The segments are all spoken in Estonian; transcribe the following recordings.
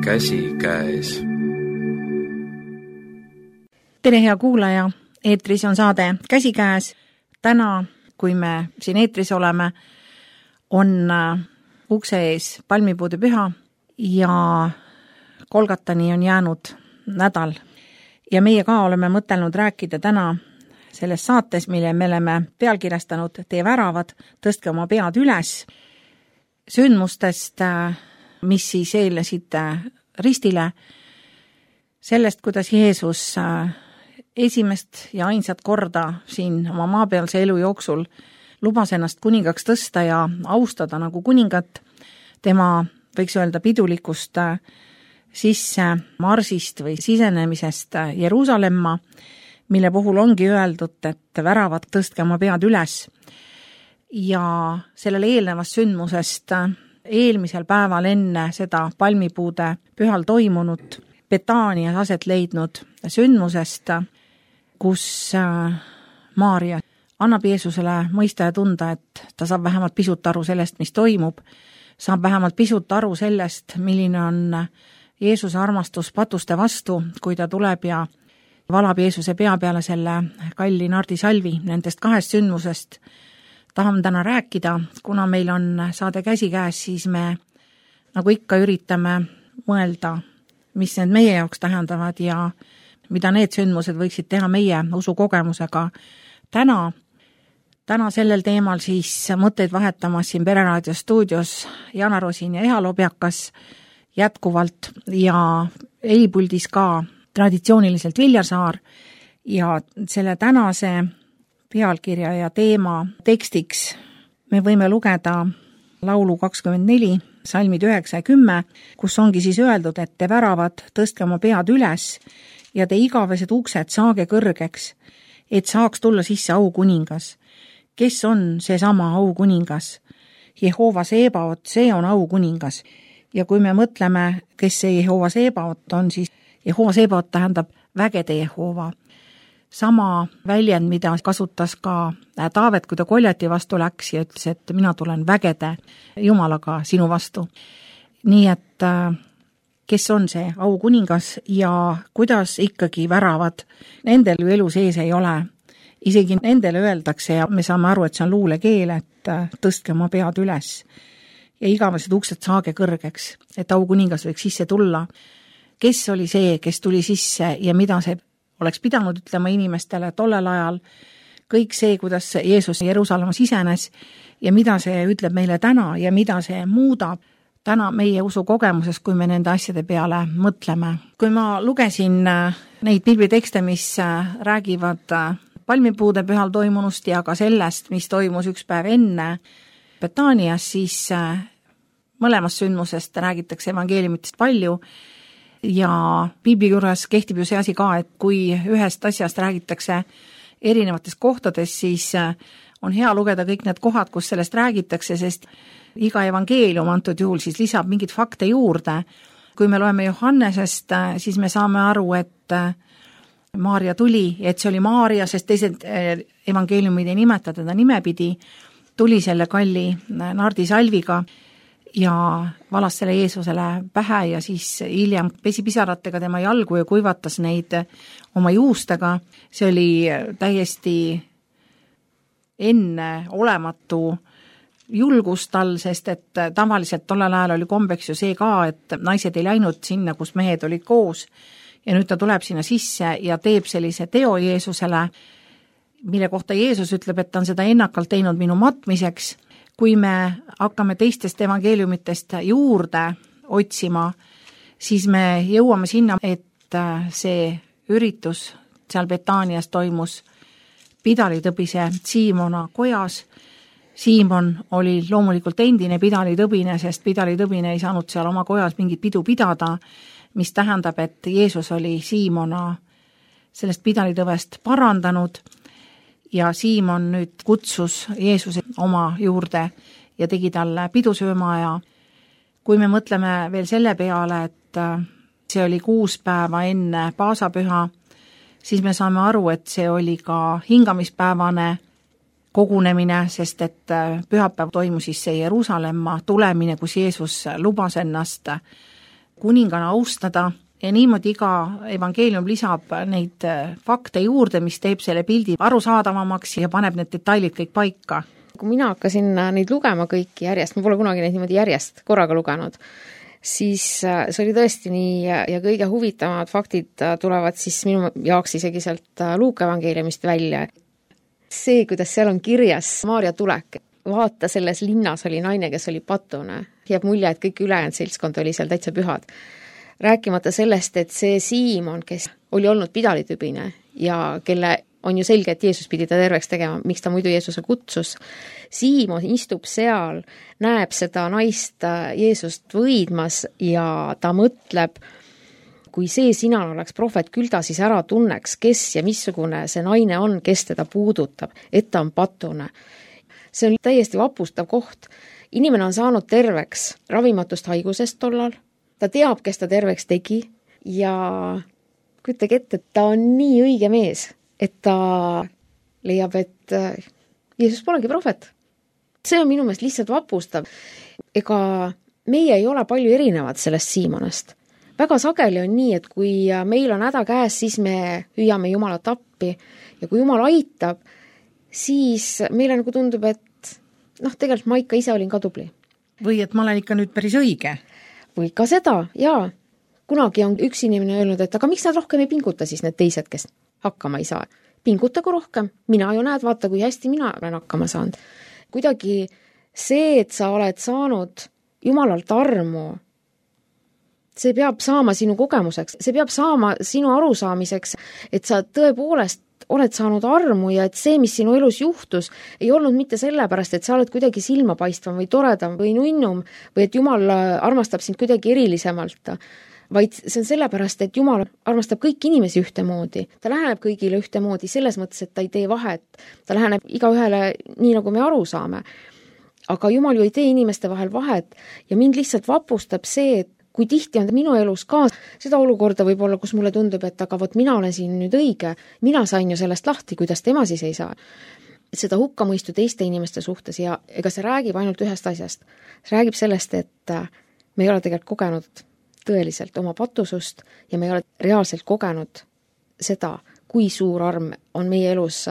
käsikäes. Tere, hea kuulaja! Eetris on saade Käsikäes. Täna, kui me siin eetris oleme, on ukse ees palmipuude püha ja Kolgatani on jäänud nädal. Ja meie ka oleme mõtelnud rääkida täna selles saates, mille me oleme pealkirjastanud Tee väravad, tõstke oma pead üles, sündmustest, mis siis eelnesid ristile, sellest, kuidas Jeesus esimest ja ainsat korda siin oma maapealse elu jooksul lubas ennast kuningaks tõsta ja austada nagu kuningat, tema, võiks öelda, pidulikust sisse marsist või sisenemisest Jeruusalemma, mille puhul ongi öeldud, et väravad, tõstke oma pead üles. Ja sellele eelnevast sündmusest eelmisel päeval enne seda palmipuude pühal toimunud Betaanias aset leidnud sündmusest, kus Maaria annab Jeesusele mõista ja tunda, et ta saab vähemalt pisut aru sellest, mis toimub, saab vähemalt pisut aru sellest, milline on Jeesuse armastus patuste vastu, kui ta tuleb ja valab Jeesuse pea peale selle kalli nardisalvi. Nendest kahest sündmusest tahame täna rääkida, kuna meil on saade Käsikäes, siis me nagu ikka üritame mõelda, mis need meie jaoks tähendavad ja mida need sündmused võiksid teha meie usukogemusega täna sellel teemal siis mõtteid vahetamas siin Pereraadio stuudios Jana Rosin ja Eha Lobjakas jätkuvalt ja helipuldis ka traditsiooniliselt Viljar Saar ja selle tänase pealkirja ja teema tekstiks me võime lugeda laulu 24, salmid 9 ja 10, kus ongi siis öeldud, et te väravad, tõstke oma pead üles ja te igavesed uksed saage kõrgeks, et saaks tulla sisse aukuningas. Kes on seesama aukuningas? Jehova Seebaot, see on aukuningas. Ja kui me mõtleme, kes see Jehova Seebaot on, siis Jehova Seebaot tähendab vägede Jehova. Sama väljend, mida kasutas ka Taavet, kui ta Koljati vastu läks ja ütles, et mina tulen vägede Jumalaga sinu vastu. Nii et kes on see aukuningas ja kuidas ikkagi väravad, nendel ju elu sees ei ole. Isegi nendele öeldakse ja me saame aru, et see on luulekeel, et tõstke oma pead üles ja igavesed uksed saage kõrgeks, et aukuningas võiks sisse tulla. Kes oli see, kes tuli sisse ja mida see oleks pidanud ütlema inimestele tollel ajal, kõik see, kuidas Jeesus Jeruusalemma sisenes ja mida see ütleb meile täna ja mida see muudab täna meie usukogemuses, kui me nende asjade peale mõtleme. Kui ma lugesin neid piiblitekste, mis räägivad palmipuude pühal toimunust ja ka sellest, mis toimus üks päev enne Betaanias, siis mõlemast sündmusest räägitakse evangeeliumitest palju ja piibli juures kehtib ju see asi ka, et kui ühest asjast räägitakse erinevates kohtades, siis on hea lugeda kõik need kohad, kus sellest räägitakse, sest iga evangeelium antud juhul siis lisab mingid fakte juurde. Kui me loeme Johannesest, siis me saame aru, et Maaria tuli, et see oli Maaria, sest teised evangeeliumid ei nimeta teda nimepidi, tuli selle kalli nardisalviga ja valas selle Jeesusele pähe ja siis hiljem pesi pisaratega tema jalgu ja kuivatas neid oma juustega. See oli täiesti enne olematu julgust tal, sest et tavaliselt tollel ajal oli kombeks ju see ka, et naised ei läinud sinna, kus mehed olid koos ja nüüd ta tuleb sinna sisse ja teeb sellise teo Jeesusele, mille kohta Jeesus ütleb, et ta on seda ennakalt teinud minu matmiseks. Kui me hakkame teistest evangeeliumitest juurde otsima, siis me jõuame sinna, et see üritus seal Betaanias toimus pidalitõbise Siimona kojas. Siimon oli loomulikult endine pidalitõbine, sest pidalitõbine ei saanud seal oma kojas mingit pidu pidada, mis tähendab, et Jeesus oli Siimona sellest pidalitõvest parandanud ja Siimon nüüd kutsus Jeesuse oma juurde ja tegi talle pidusööma ja kui me mõtleme veel selle peale, et see oli 6 päeva enne paasapüha, siis me saame aru, et see oli ka hingamispäevane kogunemine, sest et pühapäev toimus siis see Jeruusalemma tulemine, kus Jeesus lubas ennast kuningana austada ja niimoodi iga evangeelium lisab neid fakte juurde, mis teeb selle pildi arusaadavamaks ja paneb need detailid kõik paika. Kui mina hakkasin neid lugema kõiki järjest, ma pole kunagi neid niimoodi järjest korraga lugenud, siis see oli tõesti nii ja kõige huvitavamad faktid tulevad siis minu jaoks isegi sealt Luuka evangeeliumist välja. See, kuidas seal on kirjas Maarja tulek, vaata, selles linnas oli naine, kes oli patune. Jääb mulje, et kõik ülejäänud seltskond oli seal täitsa pühad. Rääkimata sellest, et see Siimon, kes oli olnud pidalitübine ja kelle on ju selge, et Jeesus pidi ta terveks tegema, miks ta muidu Jeesuse kutsus. Siimon istub seal, näeb seda naist Jeesust võidmas ja ta mõtleb, kui see sina oleks prohvet, küll ta siis ära tunneks, kes ja missugune see naine on, kes teda puudutab, et ta on patune. See on täiesti vapustav koht. Inimene on saanud terveks ravimatust haigusest tollal, ta teab, kes ta terveks tegi ja kujutage ette, et ta on nii õige mees, et ta leiab, et Jeesus polegi prohvet. See on minu meelest lihtsalt vapustav. Ega meie ei ole palju erinevad sellest Siimonest. Väga sageli on nii, et kui meil on häda käes, siis me hüüame Jumalat appi ja kui Jumal aitab, siis meile nagu tundub, et tegelikult ma ikka ise olin ka tubli. Või et ma olen ikka nüüd päris õige. Või ka seda, jaa. Kunagi on üks inimene öelnud, et aga miks nad rohkem ei pinguta siis need teised, kes hakkama ei saa. Pingutagu rohkem. Mina ju näed, vaata, kui hästi mina olen hakkama saanud. Kuidagi see, et sa oled saanud Jumalalt armu, see peab saama sinu kogemuseks. See peab saama sinu arusaamiseks, et sa tõepoolest oled saanud armu ja et see, mis sinu elus juhtus, ei olnud mitte sellepärast, et sa oled kuidagi silmapaistvam või toredam või nunnum või et Jumal armastab sind kuidagi erilisemalt, vaid see on sellepärast, et Jumal armastab kõiki inimesi ühtemoodi. Ta läheneb kõigile ühtemoodi selles mõttes, et ta ei tee vahet. Ta läheneb igaühele nii, nagu me aru saame. Aga Jumal ju ei tee inimeste vahel vahet ja mind lihtsalt vapustab see, et kui tihti on minu elus ka seda olukorda võib-olla, kus mulle tundub, et aga vot mina olen siin nüüd õige, mina sain ju sellest lahti, kuidas tema siis ei saa. Et seda hukkamõistu teiste inimeste suhtes ja ega see räägib ainult ühest asjast. See räägib sellest, et me ei ole tegelikult kogenud tõeliselt oma patusust ja me ei ole reaalselt kogenud seda, kui suur arm on meie elus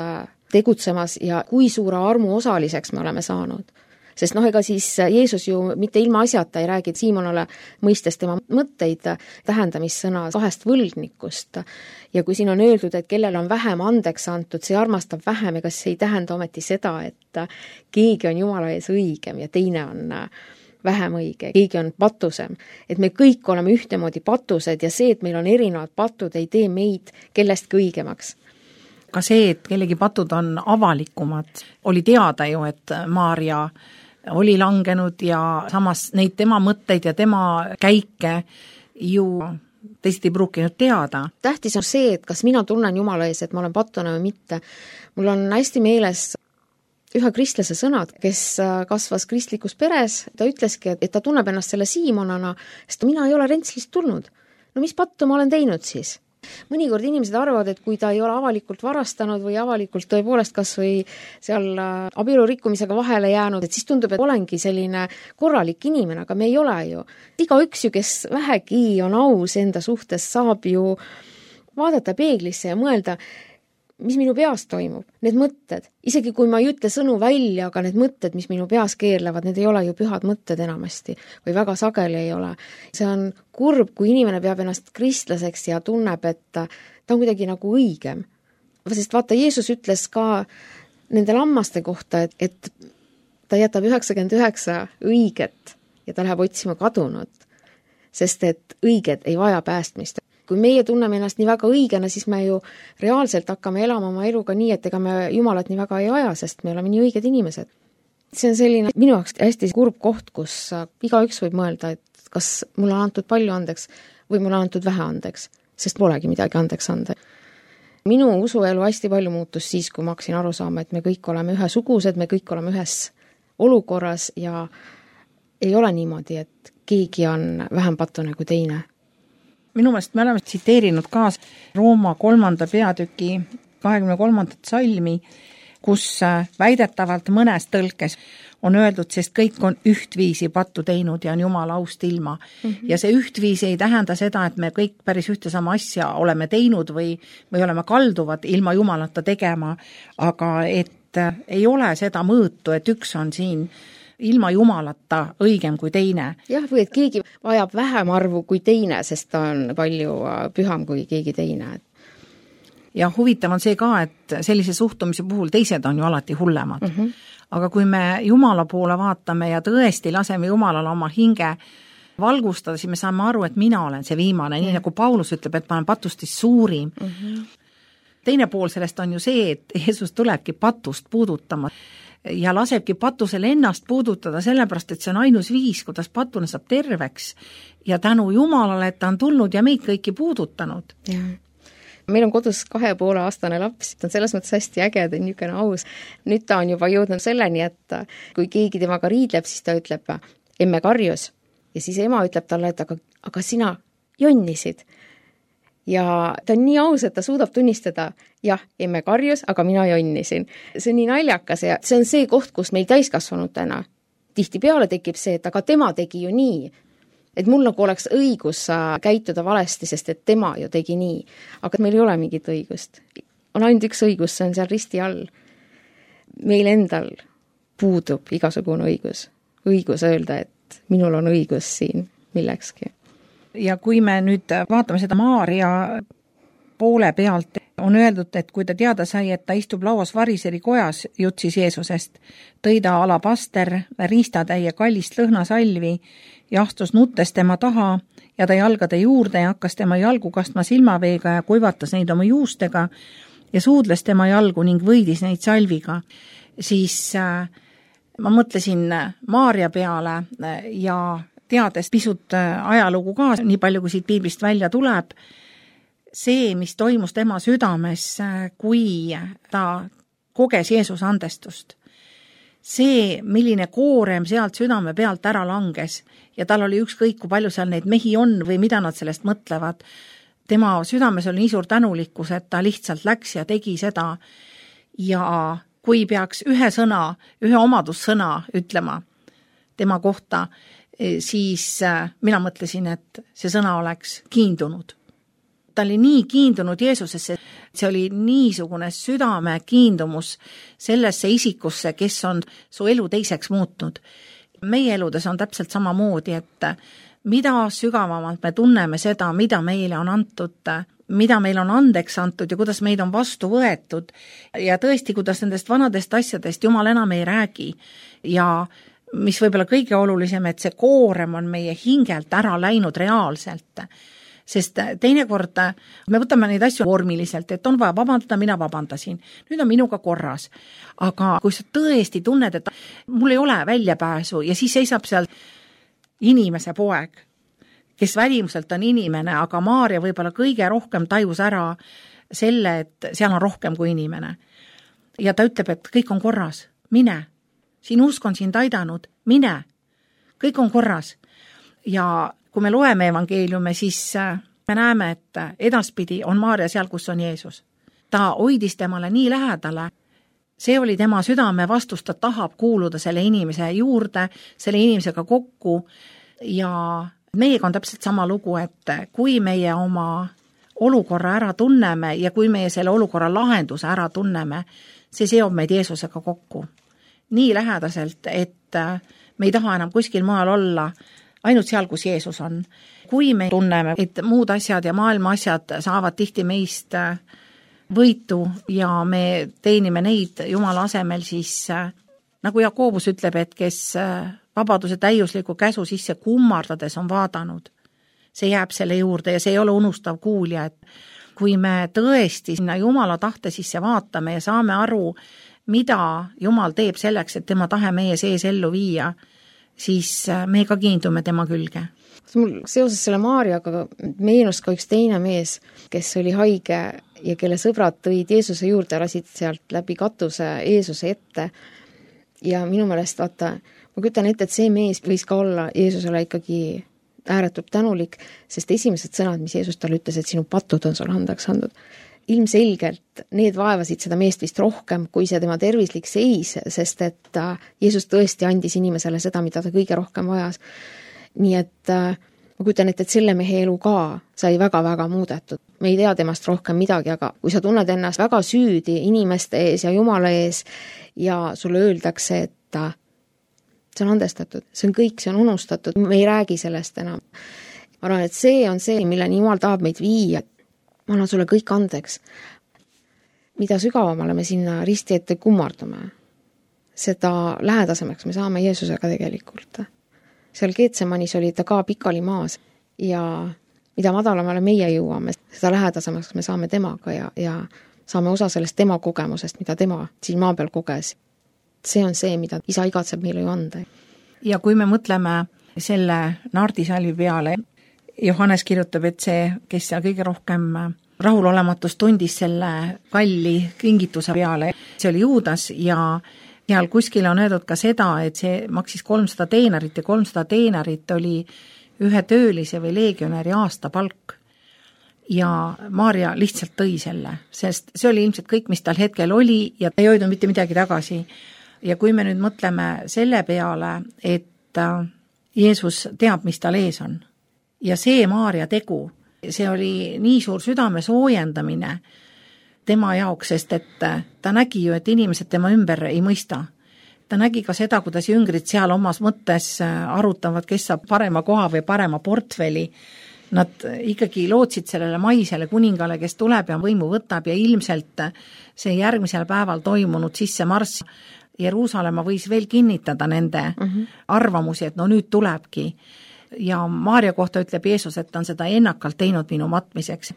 tegutsemas ja kui suure armu osaliseks me oleme saanud. Sest ega siis Jeesus ju mitte ilma asjata ei räägi Siimonale mõistes tema mõtteid tähendamissõna 2 võlgnikust. Ja kui siin on öeldud, et kellel on vähem andeks antud, see armastab vähem, ega see ei tähenda ometi seda, et keegi on Jumala ees õigem ja teine on vähem õige, keegi on patusem. Et me kõik oleme ühtemoodi patused ja see, et meil on erinevad patud, ei tee meid kellestki õigemaks. Ka see, et kellegi patud on avalikumad, oli teada ju, et Maarja oli langenud ja samas neid tema mõtteid ja tema käike ju teised ei pruukinud teada. Tähtis on see, et kas mina tunnen Jumala ees, et ma olen patune või mitte. Mul on hästi meeles ühe kristlase sõnad, kes kasvas kristlikus peres, ta ütleski, et ta tunneb ennast selle Siimonana, sest mina ei ole Rentslist tulnud. No mis pattu ma olen teinud siis? Mõnikord inimesed arvavad, et kui ta ei ole avalikult varastanud või avalikult tõepoolest kas või seal abielu rikkumisega vahele jäänud, et siis tundub, et olengi selline korralik inimene, aga me ei ole ju. Igaüks ju, kes vähegi on aus enda suhtes, saab ju vaadata peeglisse ja mõelda, mis minu peas toimub, need mõtted. Isegi kui ma ei ütle sõnu välja, aga need mõtted, mis minu peas keerlevad, need ei ole ju pühad mõtted enamasti või väga sageli ei ole. See on kurb, kui inimene peab ennast kristlaseks ja tunneb, et ta on kuidagi nagu õigem. Sest vaata, Jeesus ütles ka nende lammaste kohta, et ta jätab 99 õiget ja ta läheb otsima kadunut, sest et õiged ei vaja päästmist. Kui meie tunneme ennast nii väga õigena, siis me ju reaalselt hakkame elama oma eluga nii, et ega me Jumalat nii väga ei aja, sest me oleme nii õiged inimesed. See on selline minu jaoks hästi kurb koht, kus igaüks võib mõelda, et kas mulle on antud palju andeks või mulle on antud vähe andeks, sest polegi midagi andeks anda. Minu usuelu hästi palju muutus siis, kui ma hakkasin aru saama, et me kõik oleme ühesugused, me kõik oleme ühes olukorras ja ei ole niimoodi, et keegi on vähem patune kui teine. Minu meelest me oleme tsiteerinud ka Rooma 3. peatüki 23. salmi, kus väidetavalt mõnes tõlkes on öeldud, sest kõik on ühtviisi pattu teinud ja on Jumala aust ilma. Ja see ühtviisi ei tähenda seda, et me kõik päris ühte sama asja oleme teinud või oleme kalduvad ilma Jumalata tegema, aga et ei ole seda mõõtu, et üks on siin ilma Jumalata õigem kui teine. Jah, või et keegi vajab vähem arvu kui teine, sest ta on palju püham kui keegi teine. Ja huvitav on see ka, et sellise suhtumise puhul teised on ju alati hullemad. Aga kui me Jumala poole vaatame ja tõesti laseme Jumalale oma hinge valgustada, siis me saame aru, et mina olen see viimane, nii nagu Paulus ütleb, et ma olen patustist suurim. Teine pool sellest on ju see, et Jeesus tulebki patust puudutama ja lasebki patusel ennast puudutada, sellepärast, et see on ainus viis, kuidas patune saab terveks ja tänu Jumalale, et ta on tulnud ja meid kõiki puudutanud. Meil on kodus 2,5-aastane laps, ta on selles mõttes hästi äge, ta on niisugune aus. Nüüd ta on juba jõudnud selleni, et kui keegi temaga riidleb, siis ta ütleb, emme karjus. Ja siis ema ütleb talle, et aga sina jonnisid. Ja ta on nii aus, et ta suudab tunnistada, jah, emme karjus, aga mina jonnisin. See on nii naljakas ja see on see koht, kus meil täiskasvanutena tihtipeale tekib see, et aga tema tegi ju nii. Et mul nagu oleks õigus käituda valesti, sest et tema ju tegi nii. Aga meil ei ole mingit õigust. On ainult üks õigus, see on seal risti all. Meil endal puudub igasugune õigus. Õigus öelda, et minul on õigus siin millekski. Ja kui me nüüd vaatame seda Maarja poole pealt, on öeldud, et kui ta teada sai, et ta istub lauas variseri kojas, jutsis Jeesusest, tõi ta alabaster, riistatäie kallist lõhnasalvi ja astus nuttes tema taha ja ta jalgade juurde ja hakkas tema jalgu kastma silmaveega ja kuivatas neid oma juustega ja suudles tema jalgu ning võidis neid salviga. Siis ma mõtlesin Maarja peale ja teades pisut ajalugu ka, nii palju kui siit piiblist välja tuleb, see, mis toimus tema südames, kui ta koges Jeesuse andestust. See, milline koorem sealt südame pealt ära langes ja tal oli ükskõik, kui palju seal neid mehi on või mida nad sellest mõtlevad. Tema südames oli nii suur tänulikkus, et ta lihtsalt läks ja tegi seda. Ja kui peaks ühe sõna, ühe omadussõna ütlema tema kohta, siis mina mõtlesin, et see sõna oleks kiindunud. Ta oli nii kiindunud Jeesusesse, see oli niisugune südame kiindumus sellesse isikusse, kes on su elu teiseks muutnud. Meie eludes on täpselt samamoodi, et mida sügavamalt me tunneme seda, mida meile on antud, mida meil on andeks antud ja kuidas meid on vastu võetud ja tõesti, kuidas nendest vanadest asjadest Jumal enam ei räägi ja mis võib-olla kõige olulisem, et see koorem on meie hingelt ära läinud reaalselt. Sest teinekord me võtame neid asju vormiliselt, et on vaja vabandada, mina vabandasin. Nüüd on minuga korras. Aga kui sa tõesti tunned, et mul ei ole väljapääsu ja siis seisab seal inimese poeg, kes välimuselt on inimene, aga Maarja võib-olla kõige rohkem tajus ära selle, et seal on rohkem kui inimene. Ja ta ütleb, et kõik on korras, mine. Siin usk on sind aidanud, mine. Kõik on korras. Ja kui me loeme evangeeliume, siis me näeme, et edaspidi on Maarja seal, kus on Jeesus. Ta hoidis temale nii lähedale. See oli tema südame vastus, ta tahab kuuluda selle inimese juurde, selle inimesega kokku ja meiega on täpselt sama lugu, et kui meie oma olukorra ära tunneme ja kui meie selle olukorra lahenduse ära tunneme, see seob meid Jeesusega kokku. Nii lähedaselt, et me ei taha enam kuskil maal olla, ainult seal, kus Jeesus on. Kui me tunneme, et muud asjad ja maailma asjad saavad tihti meist võitu ja me teenime neid Jumala asemel, siis nagu Jakobus ütleb, et kes vabaduse täiusliku käsu sisse kummardades on vaadanud, see jääb selle juurde ja see ei ole unustav kuulja, et kui me tõesti sinna Jumala tahte sisse vaatame ja saame aru, mida Jumal teeb selleks, et tema tahe meie sees ellu viia, siis me ka kiindume tema külge. Mul seoses selle Maarjaga meenus ka üks teine mees, kes oli haige ja kelle sõbrad tõid Jeesuse juurde ja lasid sealt läbi katuse Jeesuse ette. Ja minu meelest, vaata, ma kütan ette, et see mees võis ka olla Jeesusele ikkagi ääretult tänulik, sest esimesed sõnad, mis Jeesus talle ütles, et sinu patud on sulle andeks andnud. ilmselgelt need vaevasid seda meest vist rohkem kui see tema tervislik seis, sest et Jeesus tõesti andis inimesele seda, mida ta kõige rohkem vajas. Nii et ma kujutan ette, et selle mehe elu ka sai väga-väga muudetud. Me ei tea temast rohkem midagi, aga kui sa tunned ennast väga süüdi inimeste ees ja Jumala ees ja sulle öeldakse, et see on andestatud, see on kõik, see on unustatud, me ei räägi sellest enam. Ma arvan, et see on see, milleni Jumal tahab meid viia. Ma annan sulle kõik andeks. Mida sügavamale me sinna risti ette kummardume, seda lähedasemaks me saame Jeesusega tegelikult. Seal Geetsemanis oli ta ka pikali maas ja mida madalamale meie jõuame, seda lähedasemaks me saame temaga ja saame osa sellest tema kogemusest, mida tema siin maa peal koges. See on see, mida isa igatseb meile ju anda. Ja kui me mõtleme selle naardisalvi peale, Johannes kirjutab, et see, kes seal kõige rohkem rahulolematust tundis selle kalli kingituse peale, see oli Juudas ja seal kuskil on öeldud ka seda, et see maksis 300 teenarit ja 300 teenarit oli ühe töölise või leegionäri aastapalk. Ja Maarja lihtsalt tõi selle, sest see oli ilmselt kõik, mis tal hetkel oli ja ei hoidnud mitte midagi tagasi. Ja kui me nüüd mõtleme selle peale, et Jeesus teab, mis tal ees on, ja see Maarja tegu, see oli nii suur südame soojendamine tema jaoks, sest et ta nägi ju, et inimesed tema ümber ei mõista. Ta nägi ka seda, kuidas jüngrid seal omas mõttes arutavad, kes saab parema koha või parema portfeli. Nad ikkagi lootsid sellele maisele kuningale, kes tuleb ja võimu võtab ja ilmselt see järgmisel päeval toimunud sissemarss Jeruusalemma võis veel kinnitada nende arvamusi, et no nüüd tulebki. Ja Maarja kohta ütleb Jeesus, et ta on seda ennakalt teinud minu matmiseks.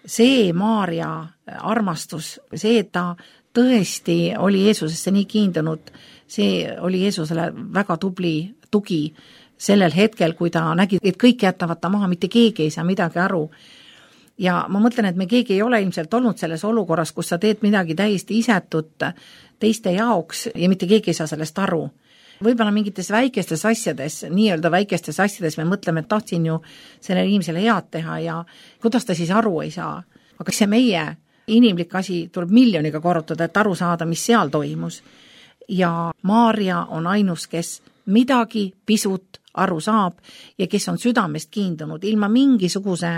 See Maarja armastus, see, et ta tõesti oli Jeesusesse nii kiindunud, see oli Jeesusele väga tubli tugi sellel hetkel, kui ta nägi, et kõik jätavad ta maha, mitte keegi ei saa midagi aru. Ja ma mõtlen, et me keegi ei ole ilmselt olnud selles olukorras, kus sa teed midagi täiesti isetut teiste jaoks ja mitte keegi ei saa sellest aru. Võib-olla mingites väikestes asjades, nii-öelda väikestes asjades me mõtleme, et tahtsin ju selle inimesele head teha ja kuidas ta siis aru ei saa. Aga see meie inimlik asi tuleb miljoniga korrutada, et aru saada, mis seal toimus. Ja Maarja on ainus, kes midagi pisut aru saab ja kes on südamest kiindunud ilma mingisuguse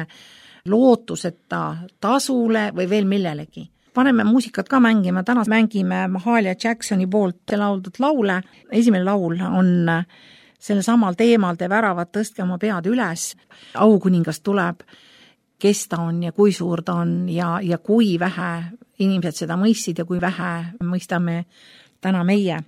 lootuseta tasule või veel millelegi. Paneme muusikat ka mängima, täna mängime Mahalia Jacksoni poolt lauldud laule. Esimene laul on selle samal teemal, te väravad, tõstke oma pead üles. Aukuningas tuleb, kes ta on ja kui suur ta on ja kui vähe inimesed seda mõistsid ja kui vähe mõistame täna meie.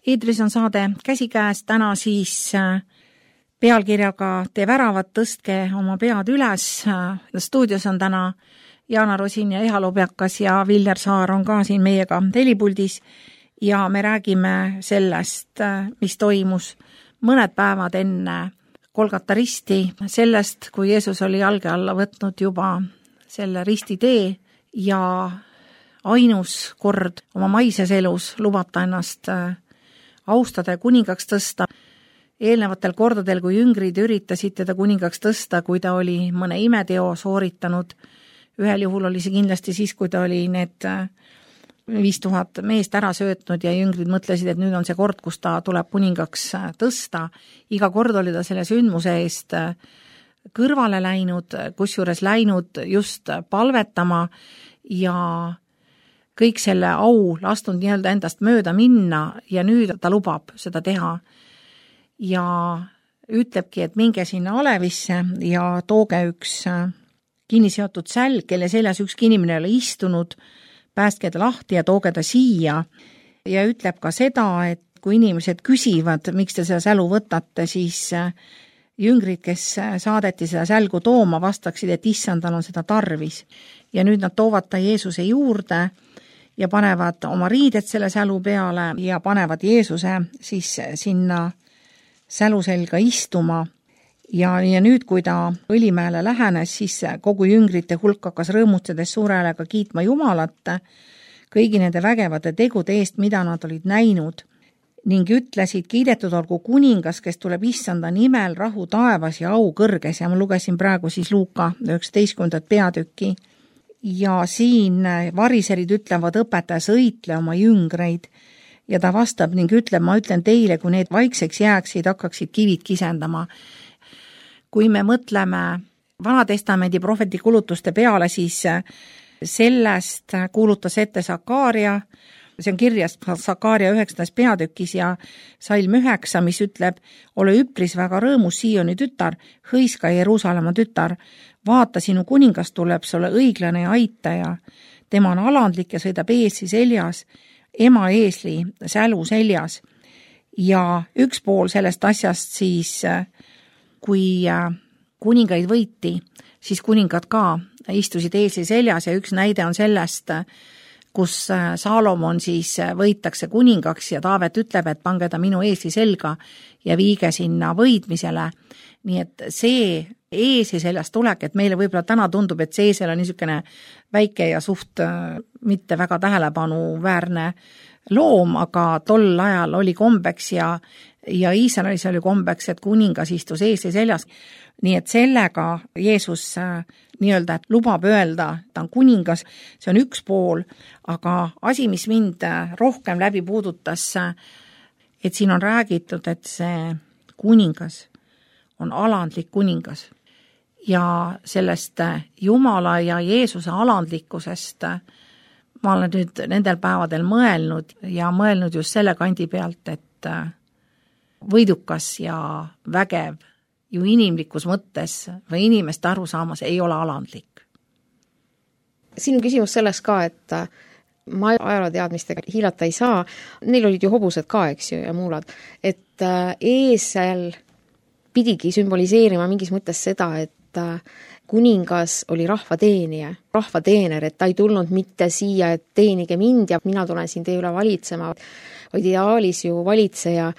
Eetris on saade Käsikäes, täna siis pealkirjaga Tee väravad, tõstke oma pead üles. Stuudios on täna Jaana Rosin ja Eha Lobjakas ja Viljar Saar on ka siin meiega helipuldis ja me räägime sellest, mis toimus mõned päevad enne Golgata risti, sellest, kui Jeesus oli jalge alla võtnud juba selle ristitee ja ainus kord oma maises elus lubata ennast austada ja kuningaks tõsta. Eelnevatel kordadel, kui jüngrid üritasid teda kuningaks tõsta, kui ta oli mõne imeteo sooritanud, ühel juhul oli see kindlasti siis, kui ta oli need 5000 meest ära söötnud ja jüngrid mõtlesid, et nüüd on see kord, kus ta tuleb kuningaks tõsta. Iga kord oli ta selle sündmuse eest kõrvale läinud, kusjuures läinud just palvetama ja kõik selle au lastunud nii-öelda endast mööda minna ja nüüd ta lubab seda teha. Ja ütlebki, et minge sinna alevisse ja tooge üks kinniseotud sälg, kelle seljas ükski inimene ei ole istunud, päästke ta lahti ja tooge ta siia. Ja ütleb ka seda, et kui inimesed küsivad, miks te seda sälu võtate, siis jüngrid, kes saadeti seda sälgu tooma, vastaksid, et issandal on seda tarvis. Ja nüüd nad toovad ta Jeesuse juurde ja panevad oma riided selle sälu peale ja panevad Jeesuse siis sinna sälu selga istuma. Ja nüüd, kui ta Õlimäele lähenes, siis kogu jüngrite hulk hakkas rõõmustades suure häälega kiitma Jumalat kõigi nende vägevate tegude eest, mida nad olid näinud, ning ütlesid, kiidetud olgu kuningas, kes tuleb issanda nimel, rahu taevas ja au kõrges. Ja ma lugesin praegu siis Luuka 19. peatükki. Ja siin variserid ütlevad, õpetaja, sõitle oma jüngreid. Ja ta vastab ning ütleb, ma ütlen teile, kui need vaikseks jääksid, hakkaksid kivid kisendama. Kui me mõtleme Vanatestamendi prohveti kulutuste peale, siis sellest kuulutas ette Sakaaria, see on kirjas Sakaaria 9. peatükis ja salm 9, mis ütleb, ole üpris väga rõõmus Sioni tütar, hõiska Jeruusalemma tütar, vaata, sinu kuningas tuleb sulle õiglane ja aitaja, tema on alandlik ja sõidab eesli seljas, ema eesli sälu seljas. Ja üks pool sellest asjast siis, kui kuningaid võiti, siis kuningad ka istusid eesli seljas ja üks näide on sellest, kus Saalomon siis võitakse kuningaks ja Taavet ütleb, et pange ta minu eesli selga ja viige sinna võidmisele. Nii et see eesli seljast tulek, et meile võib-olla täna tundub, et see eesel on niisugune väike ja suht mitte väga tähelepanuväärne loom, aga tol ajal oli kombeks ja Iisraelis oli kombeks, et kuningas istus eesli seljas. Nii et sellega Jeesus nii-öelda lubab öelda, ta on kuningas, see on üks pool, aga asi, mis mind rohkem läbi puudutas, et siin on räägitud, et see kuningas on alandlik kuningas ja sellest Jumala ja Jeesuse alandlikkusest ma olen nüüd nendel päevadel mõelnud ja mõelnud just selle kandi pealt, et võidukas ja vägev ju inimlikus mõttes või inimeste arusaamas ei ole alandlik. Siin on küsimus selles ka, et ma ajalooteadmistega hiilata ei saa, neil olid ju hobused ka, eks ju, ja muulad, et eesel pidigi sümboliseerima mingis mõttes seda, et kuningas oli rahvateenija, rahvateener, et ta ei tulnud mitte siia, et teenige mind ja mina tulen siin teie üle valitsema, vaid ideaalis ju valitseja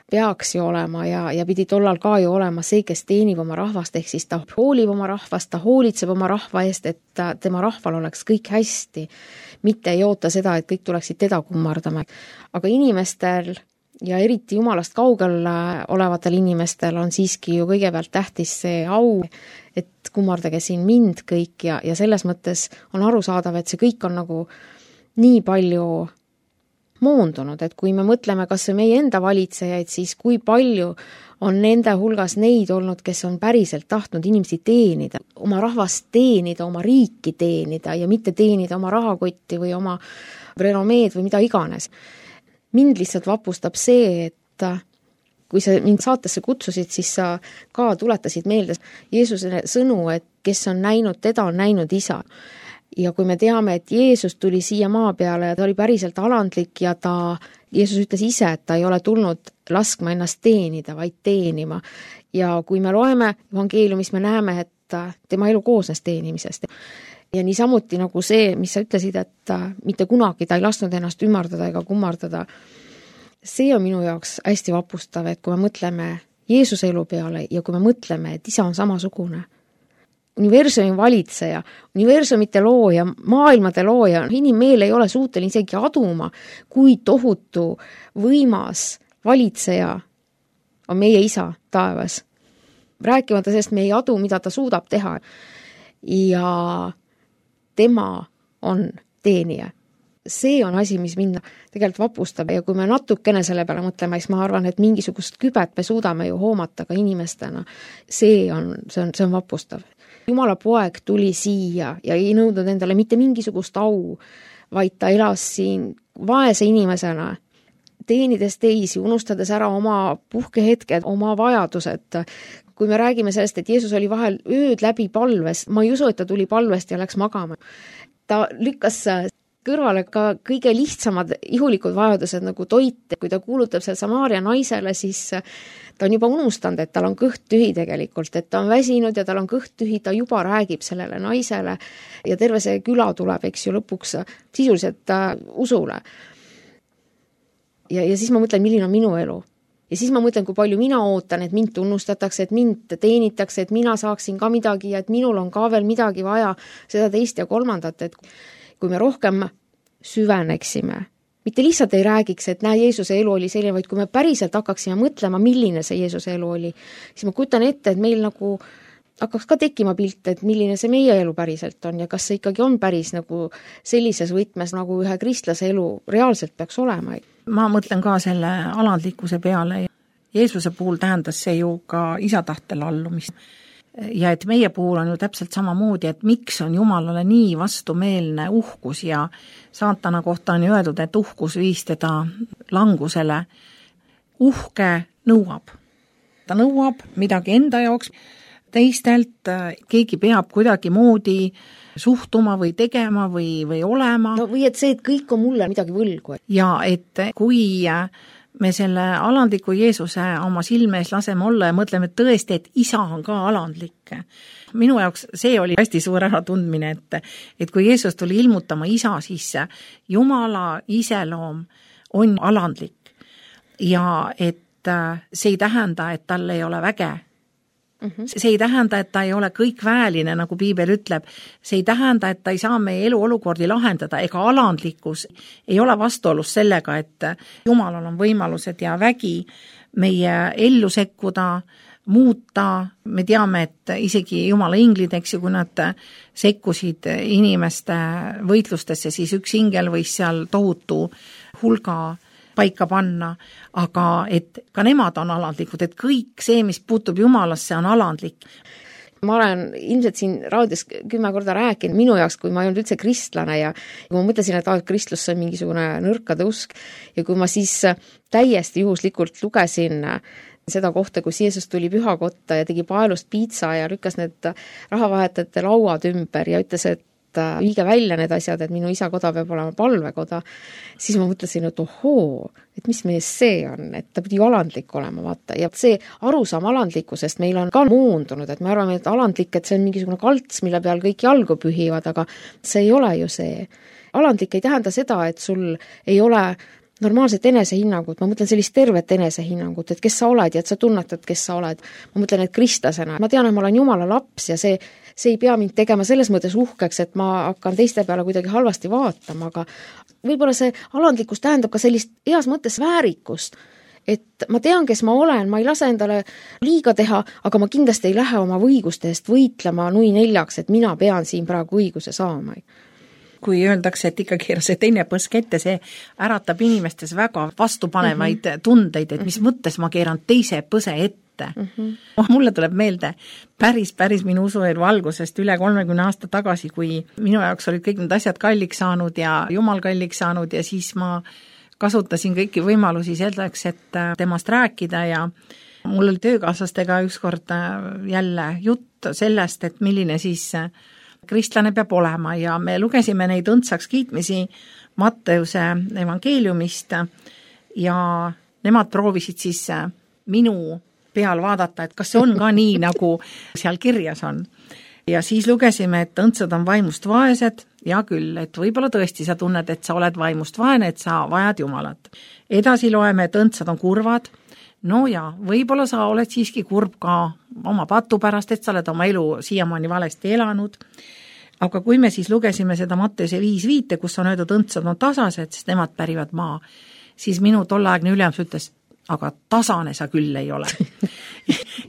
peaks ju olema ja pidi tollal ka ju olema see, kes teenib oma rahvast, ehk siis ta hoolib oma rahvast, ta hoolitseb oma rahva eest, et tema rahval oleks kõik hästi, mitte ei oota seda, et kõik tuleksid teda kummardama. Aga inimestel ja eriti Jumalast kaugel olevatel inimestel on siiski ju kõigepealt tähtis see au, et kummardage siin mind kõik ja selles mõttes on arusaadav, et see kõik on nagu nii palju moondunud, et kui me mõtleme kas või meie enda valitsejaid, siis kui palju on nende hulgas neid olnud, kes on päriselt tahtnud inimesi teenida, oma rahvast teenida, oma riiki teenida ja mitte teenida oma rahakotti või oma renomeed või mida iganes. Mind lihtsalt vapustab see, et kui sa mind saatesse kutsusid, siis sa ka tuletasid meelde Jeesuse sõnu, et kes on näinud teda, on näinud isa. Ja kui me teame, et Jeesus tuli siia maa peale ja ta oli päriselt alandlik ja ta Jeesus ütles ise, et ta ei ole tulnud laskma ennast teenida, vaid teenima. Ja kui me loeme evangeeliumis, me näeme, et tema elu koosnes teenimisest. Ja niisamuti nagu see, mis sa ütlesid, et mitte kunagi ta ei lasknud ennast ümardada ega kummardada. See on minu jaoks hästi vapustav, et kui me mõtleme Jeesuse elu peale ja kui me mõtleme, et isa on samasugune, universumi valitseja, universumite looja, maailmade looja, inimmeel ei ole suuteline isegi aduma, kui tohutu võimas valitseja on meie isa taevas. Rääkimata sellest, me ei adu, mida ta suudab teha. Ja tema on teenija. See on asi, mis mind tegelikult vapustab ja kui me natukene selle peale mõtleme, siis ma arvan, et mingisugust kübet me suudame ju hoomata ka inimestena. See on vapustav. Jumala poeg tuli siia ja ei nõudnud endale mitte mingisugust au, vaid ta elas siin vaese inimesena, teenides teisi, unustades ära oma puhkehetked, oma vajadused. Kui me räägime sellest, et Jeesus oli vahel ööd läbi palves, ma ei usu, et ta tuli palvest ja läks magama. Ta lükkas kõrvale ka kõige lihtsamad ihulikud vajadused nagu toit. Kui ta kuulutab seal Samaaria naisele, siis ta on juba unustanud, et tal on kõht tühi tegelikult, et ta on väsinud ja tal on kõht tühi, ta juba räägib sellele naisele ja terve see küla tuleb, eks ju, lõpuks sisuliselt usule. Ja siis ma mõtlen, milline on minu elu. Ja siis ma mõtlen, kui palju mina ootan, et mind tunnustatakse, et mind teenitakse, et mina saaksin ka midagi ja et minul on ka veel midagi vaja, seda teist ja kolmandat, et kui me rohkem süveneksime, mitte lihtsalt ei räägiks, et näe, Jeesuse elu oli selline, vaid kui me päriselt hakkaksime mõtlema, milline see Jeesuse elu oli, siis ma kujutan ette, et meil nagu hakkaks ka tekkima pilt, et milline see meie elu päriselt on ja kas see ikkagi on päris nagu sellises võtmes, nagu ühe kristlase elu reaalselt peaks olema. Ma mõtlen ka selle alandlikkuse peale. Jeesuse puhul tähendas see ju ka isa tahtel allumist. Ja et meie puhul on ju täpselt samamoodi, et miks on Jumalale nii vastumeelne uhkus ja saatana kohta on öeldud, et uhkus viis teda langusele. Uhke nõuab. Ta nõuab midagi enda jaoks, teistelt, keegi peab kuidagi moodi suhtuma või tegema või olema. No või et see, et kõik on mulle midagi võlgu. Ja et kui me selle alandliku Jeesuse oma silme ees laseme olla ja mõtleme tõesti, et isa on ka alandlik. Minu jaoks see oli hästi suur äratundmine, et kui Jeesus tuli ilmutama isa, siis Jumala iseloom on alandlik. Ja et see ei tähenda, et tal ei ole väge. See ei tähenda, et ta ei ole kõik vääline, nagu Piibel ütleb. See ei tähenda, et ta ei saa meie elu olukordi lahendada, ega alandlikkus ei ole vastuolus sellega, et Jumalal on võimalused ja vägi meie ellu sekkuda, muuta. Me teame, et isegi Jumala inglid, eks ju, kui nad sekkusid inimeste võitlustesse, siis üks ingel võis seal tohutu hulga paika panna, aga et ka nemad on alandlikud, et kõik see, mis puutub Jumalasse, on alandlik. Ma olen ilmselt siin raadios 10 korda rääkinud minu jaoks, kui ma ei olnud üldse kristlane ja kui ma mõtlesin, et kristlus on mingisugune nõrkade usk ja kui ma siis täiesti juhuslikult lugesin seda kohta, kus Jeesus tuli pühakotta ja tegi paelust piitsa ja lükkas need rahavahetajate lauad ümber ja ütles, et viige välja need asjad, et minu isa koda peab olema palvekoda, siis ma mõtlesin, et ohoo, et mis mees see on, et ta pidi ju alandlik olema, vaata. Ja see arusaam alandlikkusest meil on ka moondunud, et me arvame, et alandlik, et see on mingisugune kalts, mille peal kõik jalgu pühivad, aga see ei ole ju see. Alandlik ei tähenda seda, et sul ei ole normaalset enesehinnangut, ma mõtlen sellist tervet enesehinnangut, et kes sa oled ja et sa tunnetad, kes sa oled. Ma mõtlen, et kristlasena, ma tean, et ma olen Jumala laps ja see ei pea mind tegema selles mõttes uhkeks, et ma hakkan teiste peale kuidagi halvasti vaatama, aga võib-olla see alandlikkus tähendab ka sellist heas mõttes väärikust, et ma tean, kes ma olen, ma ei lase endale liiga teha, aga ma kindlasti ei lähe oma õiguste eest võitlema nui neljaks, et mina pean siin praegu õiguse saama. Kui öeldakse, et ikka keera see teine põsk ette, see äratab inimestes väga vastupanevaid tundeid, et mis mõttes ma keeran teise põse ette. Mulle tuleb meelde päris minu usuelu algusest üle 30 aasta tagasi, kui minu jaoks olid kõik need asjad kalliks saanud ja Jumal kalliks saanud ja siis ma kasutasin kõiki võimalusi selleks, et temast rääkida ja mul oli töökaaslastega ükskord jälle jutt sellest, et milline siis kristlane peab olema ja me lugesime neid õndsaks kiitmisi Matteuse evangeeliumist ja nemad proovisid siis minu peal vaadata, et kas see on ka nii, nagu seal kirjas on. Ja siis lugesime, et õndsad on vaimust vaesed, ja küll, et võib-olla tõesti sa tunned, et sa oled vaimust vaene, et sa vajad Jumalat. Edasi loeme, et õndsad on kurvad, no ja võib-olla sa oled siiski kurb ka oma patu pärast, et sa oled oma elu siiamaani valesti elanud. Aga kui me siis lugesime seda Matteuse 5:5, kus on öeldud õndsad on tasased, sest nemad pärivad maa, siis minu tolleaegne ülemus ütles, aga tasane sa küll ei ole.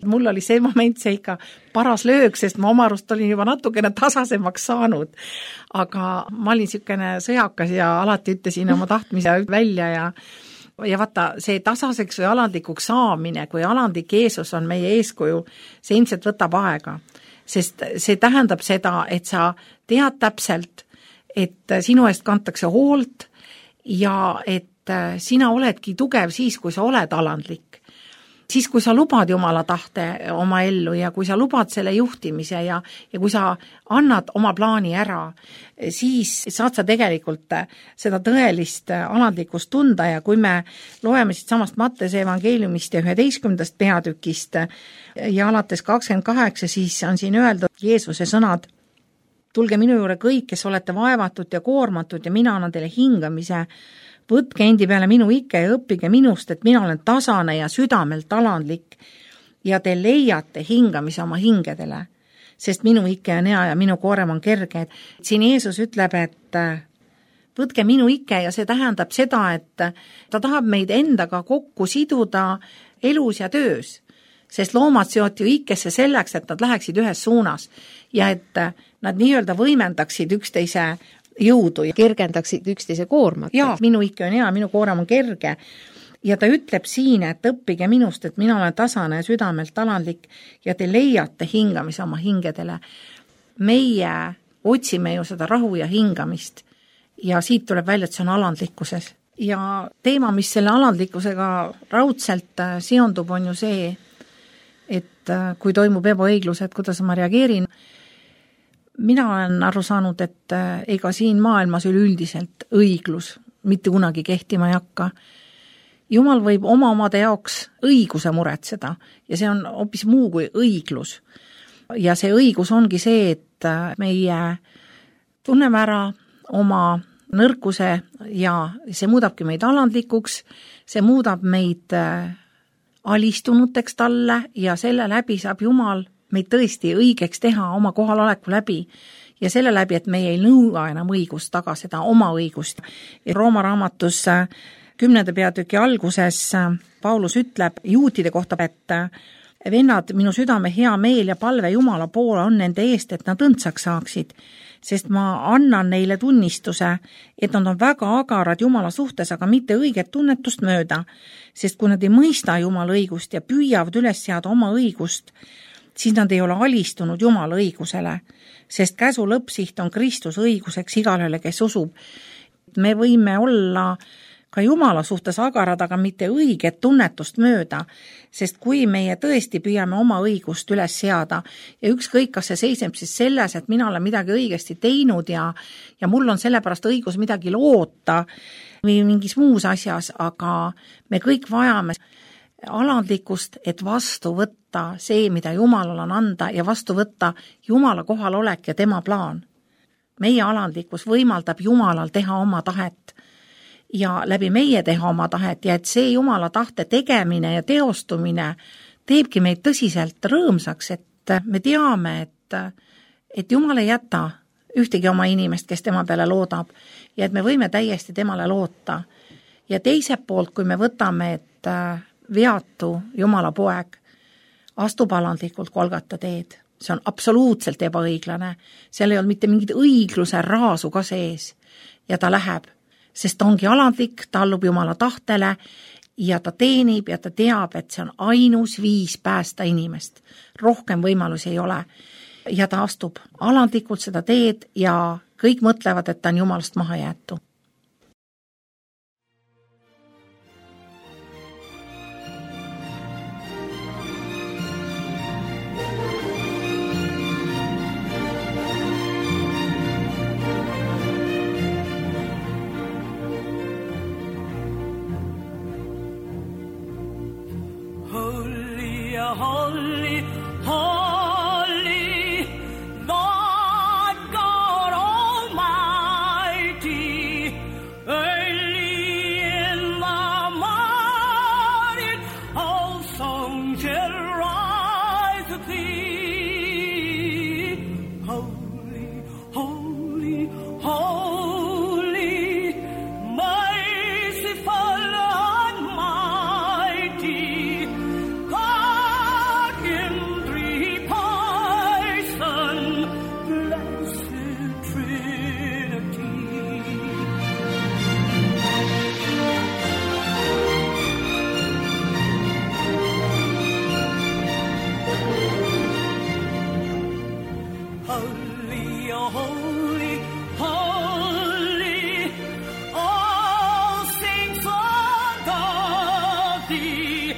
Mul oli see moment see ikka paras löög, sest ma oma arust olin juba natukene tasasemaks saanud. Aga ma olin niisugune sõjakas ja alati ütlesin oma tahtmise välja ja vaata, see tasaseks või alandlikuks saamine, kui alandlik Jeesus on meie eeskuju, see ilmselt võtab aega. Sest see tähendab seda, et sa tead täpselt, et sinu eest kantakse hoolt ja et sina oledki tugev siis, kui sa oled alandlik. Siis, kui sa lubad Jumala tahte oma ellu ja kui sa lubad selle juhtimise ja kui sa annad oma plaani ära, siis saad sa tegelikult seda tõelist alandlikkust tunda ja kui me loeme siit samast Matteuse evangeeliumist ja 11. peatükist ja alates 28, siis on siin öeldud Jeesuse sõnad, tulge minu juurde kõik, kes olete vaevatud ja koormatud ja mina annan teile hingamise. Võtke endi peale minu ikke ja õppige minust, et mina olen tasane ja südamelt alandlik ja te leiate hingamise oma hingedele, sest minu ikke on hea ja minu koorem on kerge. Siin Jeesus ütleb, et võtke minu ikke ja see tähendab seda, et ta tahab meid endaga kokku siduda elus ja töös, sest loomad seoti ju ikkesse selleks, et nad läheksid ühes suunas ja et nad nii-öelda võimendaksid üksteise jõudu ja kergendaksid üksteise koormat. Jaa, minu ikke on hea, minu koorem on kerge. Ja ta ütleb siin, et õppige minust, et mina olen tasane ja südamelt alandlik ja te leiate hingamise oma hingedele. Meie otsime ju seda rahu ja hingamist ja siit tuleb välja, et see on alandlikkuses. Ja teema, mis selle alandlikkusega raudselt seondub, on ju see, et kui toimub ebaõiglus, et kuidas ma reageerin. Mina olen aru saanud, et ega siin maailmas üleüldiselt õiglus mitte kunagi kehtima ei hakka. Jumal võib omade jaoks õiguse muretseda ja see on hoopis muu kui õiglus. Ja see õigus ongi see, et meie tunneme ära oma nõrkuse ja see muudabki meid alandlikuks, see muudab meid alistunuteks talle ja selle läbi saab Jumal meid tõesti õigeks teha oma kohaloleku läbi ja selle läbi, et meie ei nõua enam õigust taga seda oma õigust. Rooma raamatus 10. peatüki alguses Paulus ütleb juutide kohta, et vennad, minu südame hea meel ja palve Jumala poole on nende eest, et nad õndsaks saaksid, sest ma annan neile tunnistuse, et nad on väga agarad Jumala suhtes, aga mitte õiget tunnetust mööda, sest kui nad ei mõista Jumala õigust ja püüavad üles seada oma õigust, siis nad ei ole alistunud Jumala õigusele, sest käsu lõppsiht on Kristus õiguseks igalühele, kes usub. Me võime olla ka Jumala suhtes agarad, aga mitte õiget tunnetust mööda, sest kui meie tõesti püüame oma õigust üles seada ja ükskõik, kas see seisneb siis selles, et mina olen midagi õigesti teinud ja mul on sellepärast õigus midagi loota või mingis muus asjas, aga me kõik vajame alandlikkust, et vastu võtta see, mida Jumalal on anda ja vastu võtta Jumala kohalolek ja tema plaan. Meie alandlikkus võimaldab Jumalal teha oma tahet ja läbi meie teha oma tahet ja et see Jumala tahte tegemine ja teostumine teebki meid tõsiselt rõõmsaks, et me teame, et Jumal ei jäta ühtegi oma inimest, kes tema peale loodab ja et me võime täiesti temale loota. Ja teiselt poolt, kui me võtame, et veatu Jumala poeg astub alandlikult Golgata teed. See on absoluutselt ebaõiglane. Seal ei olnud mitte mingit õigluse raasu ka sees ja ta läheb, sest ta ongi alandlik, ta allub Jumala tahtele ja ta teenib ja ta teab, et see on ainus viis päästa inimest. Rohkem võimalusi ei ole. Ja ta astub alandlikult seda teed ja kõik mõtlevad, et ta on Jumalast maha jäetu. holy, holy, Lord God Almighty. Early in the morning, all songs shall rise to thee. Holy, holy, holy, merciful, almighty, God in three persons, blessed Trinity. Holy, holy, holy, all saints adore thee,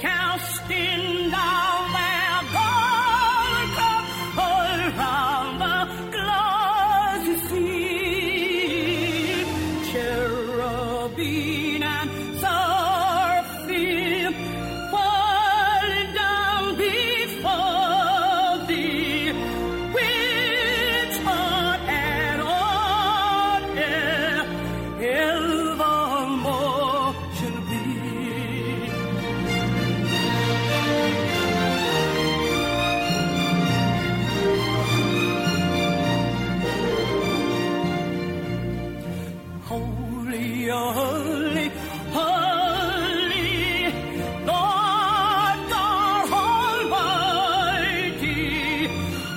casting down their golden crowns around the glassy sea. Cherubim and seraphim fall down before thee, which on and on air evermore shall be. Holy, holy, holy, Lord God Almighty,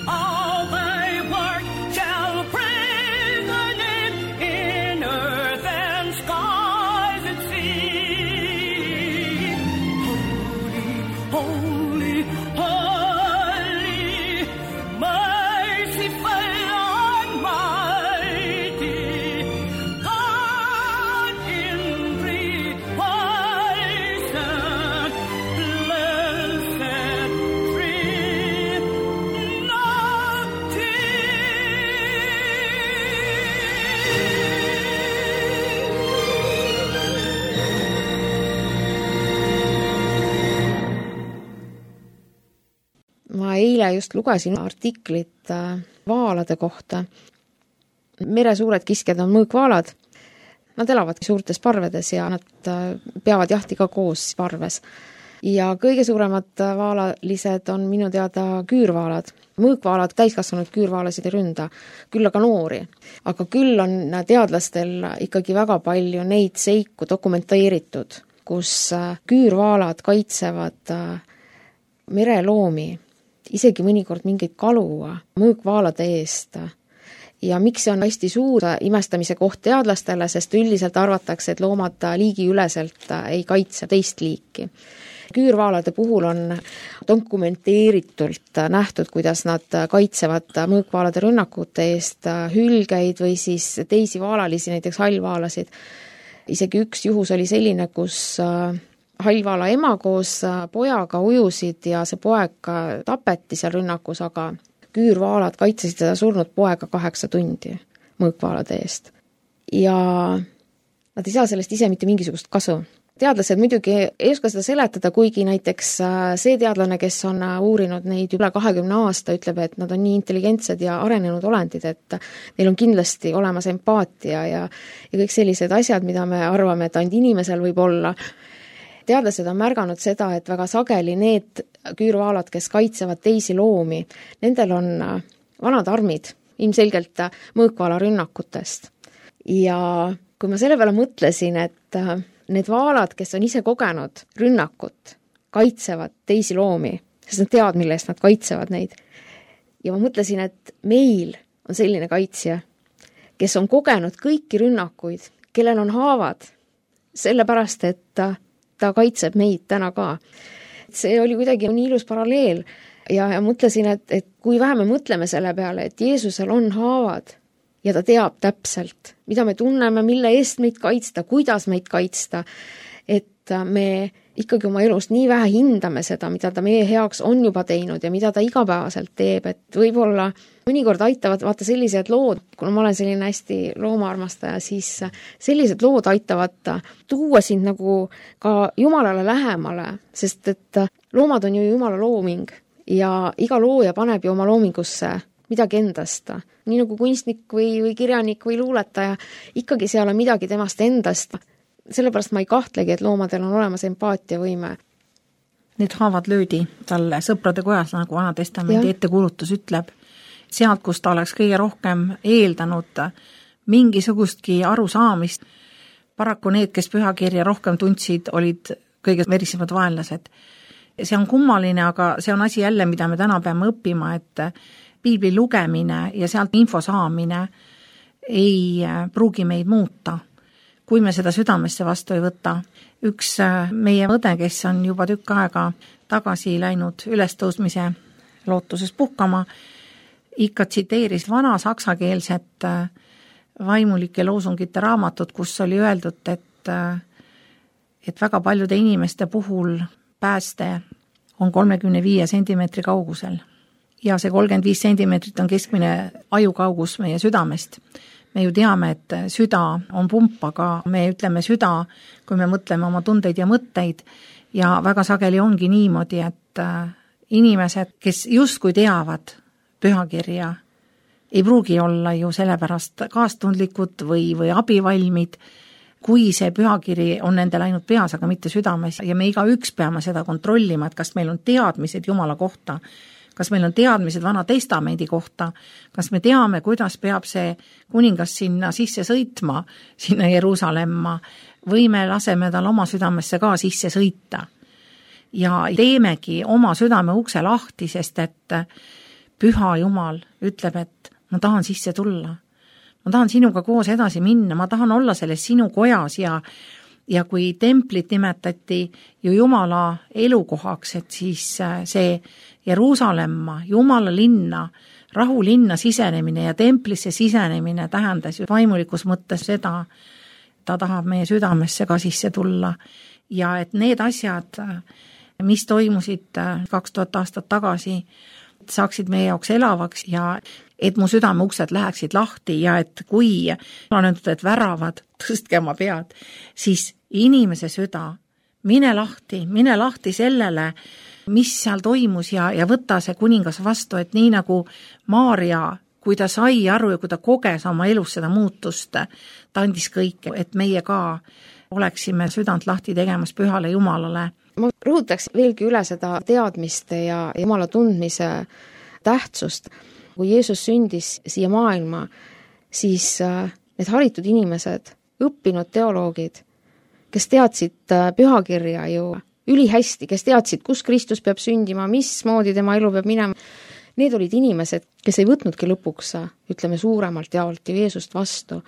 all thy work shall praise thy name in earth and skies and sea. Holy, holy, holy, merciful, almighty, God in three persons, blessed ma eile just lugesin artiklit vaalade kohta. Meresuured kiskjad on mõõkvaalad. Nad elavad suurtes parvedes ja nad peavad jahti ka koos parves. Ja kõige suuremad vaalalised on minu teada küürvaalad. Mõõkvaalad, täiskasvanud küürvaalasid ei ründa, küll aga noori. Aga küll on teadlastel ikkagi väga palju neid seiku dokumenteeritud, kus küürvaalad kaitsevad mereloomi, isegi mõnikord mingeid kalu mõõkvaalade eest. Ja miks see on hästi suur imestamise koht teadlastele, sest üldiselt arvatakse, et loomad liigiüleselt ei kaitse teist liiki. Küürvaalade puhul on dokumenteeritult nähtud, kuidas nad kaitsevad mõõkvaalade rünnakute eest hülgeid või siis teisi vaalalisi, näiteks hallvaalasid. Isegi üks juhus oli selline, kus hallvaala ema koos pojaga ujusid ja see poeg tapeti seal rünnakus, aga küürvaalad kaitsesid seda surnud poega 8 tundi mõõkvaalade eest. Ja nad ei saa sellest ise mitte mingisugust kasu. Teadlased muidugi ei oska seda seletada, kuigi näiteks see teadlane, kes on uurinud neid üle 20 aasta, ütleb, et nad on nii intelligentsed ja arenenud olendid, et neil on kindlasti olemas empaatia ja kõik sellised asjad, mida me arvame, et ainult inimesel võib olla. Teadlased on märganud seda, et väga sageli need küürvaalad, kes kaitsevad teisi loomi, nendel on vanad armid, ilmselgelt mõõkvaala rünnakutest. Ja kui ma selle peale mõtlesin, et need vaalad, kes on ise kogenud rünnakut, kaitsevad teisi loomi, sest nad teavad, mille eest nad kaitsevad neid. Ja ma mõtlesin, et meil on selline kaitsja, kes on kogenud kõiki rünnakuid, kellel on haavad, sellepärast, et ta kaitseb meid täna ka. See oli kuidagi nii ilus paralleel ja mõtlesin, et kui vähe me mõtleme selle peale, et Jeesusel on haavad, ja ta teab täpselt, mida me tunneme, mille eest meid kaitsta, kuidas meid kaitsta, et me ikkagi oma elus nii vähe hindame seda, mida ta meie heaks on juba teinud ja mida ta igapäevaselt teeb, et võib-olla mõnikord aitavad vaata sellised lood, kuna ma olen selline hästi loomaarmastaja, siis sellised lood aitavad tuua sind nagu ka Jumalale lähemale, sest et loomad on ju Jumala looming ja iga looja paneb ju oma loomingusse midagi endast. Nii nagu kunstnik või kirjanik või luuletaja, ikkagi seal on midagi temast endast. Sellepärast ma ei kahtlegi, et loomadel on olemas empaatiavõime. Need haavad löödi talle sõprade kojas, nagu Vana Testamendi ettekuulutus ütleb. Sealt, kus ta oleks kõige rohkem eeldanud mingisugustki arusaamist. Paraku need, kes pühakirja rohkem tundsid, olid kõige verisemad vaenlased. See on kummaline, aga see on asi jälle, mida me täna peame õppima, et piibli lugemine ja sealt info saamine ei pruugi meid muuta, kui me seda südamesse vastu ei võta. Üks meie õde, kes on juba tükk aega tagasi läinud ülestõusmise lootuses puhkama, ikka tsiteeris vana saksakeelset vaimulike loosungite raamatut, kus oli öeldud, et väga paljude inimeste puhul pääste on 35 sentimeetri kaugusel. Ja see 35 sentimeetrit on keskmine ajukaugus meie südamest. Me ju teame, et süda on pump, aga me ütleme süda, kui me mõtleme oma tundeid ja mõtteid ja väga sageli ongi niimoodi, et inimesed, kes justkui teavad pühakirja, ei pruugi olla ju sellepärast kaastundlikud või abivalmid, kui see pühakiri on nendel ainult peas, aga mitte südames ja me igaüks peame seda kontrollima, et kas meil on teadmised Jumala kohta, kas meil on teadmised Vana Testamendi kohta, kas me teame, kuidas peab see kuningas sinna sisse sõitma, sinna Jeruusalemma, või me laseme tal oma südamesse ka sisse sõita. Ja teemegi oma südame ukse lahti, sest et Püha Jumal ütleb, et ma tahan sisse tulla. Ma tahan sinuga koos edasi minna, ma tahan olla selles sinu kojas ja kui templit nimetati ju Jumala elukohaks, et siis see Jeruusalemma, Jumala linna, rahulinna sisenemine ja templisse sisenemine tähendas ju vaimulikus mõttes seda, ta tahab meie südamesse ka sisse tulla ja et need asjad, mis toimusid 2000 aastat tagasi, saaksid meie jaoks elavaks ja et mu südame uksed läheksid lahti ja et kui on öeldud, et väravad, tõstke oma pead, siis inimese süda, mine lahti sellele, mis seal toimus ja võtta see kuningas vastu, et nii nagu Maarja, kui ta sai aru ja kui ta koges oma elus seda muutust, ta andis kõike, et meie ka oleksime südant lahti tegemas Pühale Jumalale. Ma rõhutaks veelgi üle seda teadmiste ja Jumala tundmise tähtsust. Kui Jeesus sündis siia maailma, siis need haritud inimesed, õppinud teoloogid, kes teadsid pühakirja ju ülihästi, kes teadsid, kus Kristus peab sündima, mismoodi tema elu peab minema, need olid inimesed, kes ei võtnudki lõpuks, ütleme suuremalt jaolt ju Jeesust vastu.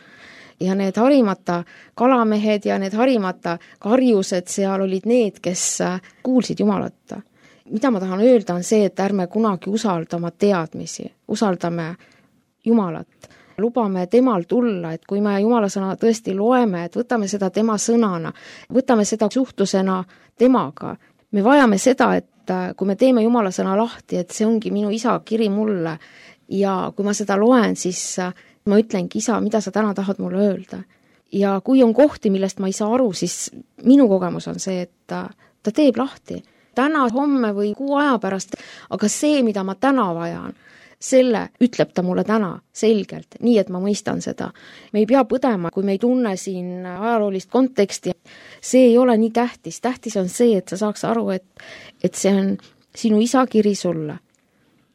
Ja need harimata kalamehed ja need harimata karjused seal olid need, kes kuulsid Jumalat. Mida ma tahan öelda on see, et ärme kunagi usalda oma teadmisi, usaldame Jumalat. Lubame temal tulla, et kui me Jumala sõna tõesti loeme, et võtame seda tema sõnana, võtame seda suhtlusena temaga. Me vajame seda, et kui me teeme Jumala sõna lahti, et see ongi minu isa kiri mulle ja kui ma seda loen, siis ma ütlengi, isa, mida sa täna tahad mulle öelda. Ja kui on kohti, millest ma ei saa aru, siis minu kogemus on see, et ta teeb lahti. Täna, homme või 6 aja pärast, aga see, mida ma täna vajan, selle ütleb ta mulle täna selgelt, nii et ma mõistan seda. Me ei pea põdema, kui me ei tunne siin ajaloolist konteksti. See ei ole nii tähtis. Tähtis on see, et sa saaks aru, et see on sinu isa kiri sulle.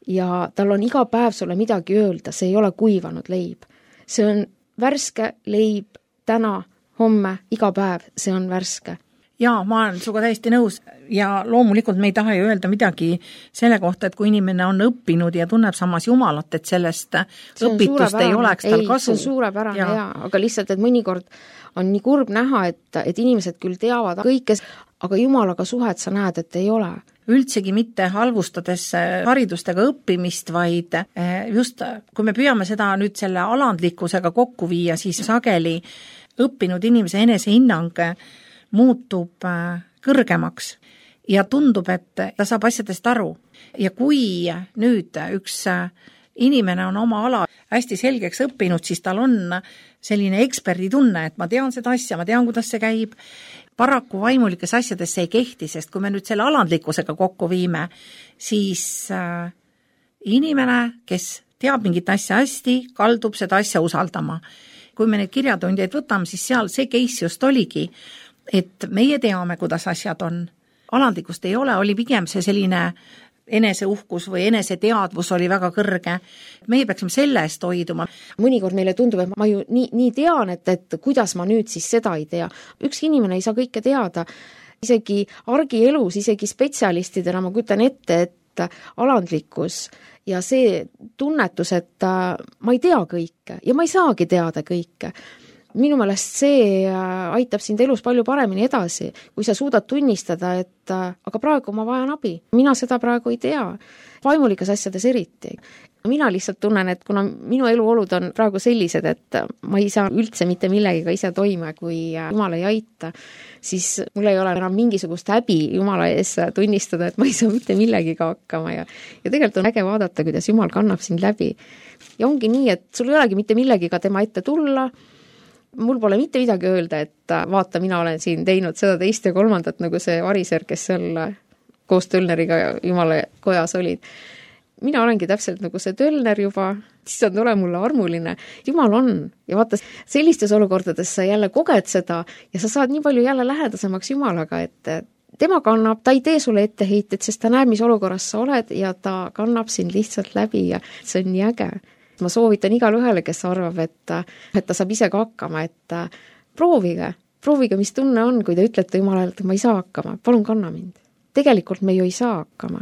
Ja tal on iga päev sulle midagi öelda, see ei ole kuivanud leib. See on värske leib täna, homme, iga päev, see on värske. Jaa, ma olen suga täiesti nõus ja loomulikult me ei taha ju öelda midagi selle kohta, et kui inimene on õppinud ja tunneb samas Jumalat, et sellest õpitust ei oleks tal kasu. See on suurepärane, jaa, aga lihtsalt, et mõnikord on nii kurb näha, et inimesed küll teavad kõike, aga Jumalaga suhet sa näed, et ei ole. Üldsegi mitte halvustades haridustega õppimist, vaid just kui me püüame seda nüüd selle alandlikkusega kokku viia, siis sageli õppinud inimese enesehinnang muutub kõrgemaks ja tundub, et ta saab asjadest aru. Ja kui nüüd üks inimene on oma ala hästi selgeks õppinud, siis tal on selline eksperditunne, et ma tean seda asja, ma tean, kuidas see käib. paraku vaimulikes asjades see ei kehti, sest kui me nüüd selle alandlikkusega kokku viime, siis inimene, kes teab mingit asja hästi, kaldub seda asja usaldama. Kui me neid kirjatundjaid võtame, siis seal see case just oligi, et meie teame, kuidas asjad on. Alandlikkust ei ole, oli pigem see selline eneseuhkus või eneseteadvus oli väga kõrge. Meie peaksime selle eest hoiduma. Mõnikord meile tundub, et ma ju nii tean, et kuidas ma nüüd siis seda ei tea. Üks inimene ei saa kõike teada. Isegi argielus, isegi spetsialistidena ma kujutan ette, et alandlikkus ja see tunnetus, et ma ei tea kõike ja ma ei saagi teada kõike. Minu meelest see aitab sind elus palju paremini edasi, kui sa suudad tunnistada, et aga praegu ma vajan abi. Mina seda praegu ei tea. Vaimulikas asjades eriti. Mina lihtsalt tunnen, et kuna minu eluolud on praegu sellised, et ma ei saa üldse mitte millegiga ise toime, kui Jumal ei aita, siis mul ei ole enam mingisugust häbi Jumala ees tunnistada, et ma ei saa mitte millegiga hakkama ja tegelikult on äge vaadata, kuidas Jumal kannab sind läbi. Ja ongi nii, et sul ei olegi mitte millegiga tema ette tulla, mul pole mitte midagi öelda, et vaata, mina olen siin teinud seda teist ja kolmandat, nagu see variser, kes seal koos Tölneriga Jumala kojas olid. Mina olengi täpselt nagu see Tölner juba, siis on tule mulle armuline. Jumal on. Ja vaata, sellistes olukordades sa jälle koged seda ja sa saad nii palju jälle lähedasemaks Jumalaga, et tema kannab, ta ei tee sulle etteheited, sest ta näeb, mis olukorras sa oled ja ta kannab sind lihtsalt läbi ja see on nii äge. Ma soovitan igale ühele, kes arvab, et ta saab ise ka hakkama, et proovige, mis tunne on, kui te ütlete Jumalale, et ma ei saa hakkama, palun kanna mind. Tegelikult me ju ei saa hakkama.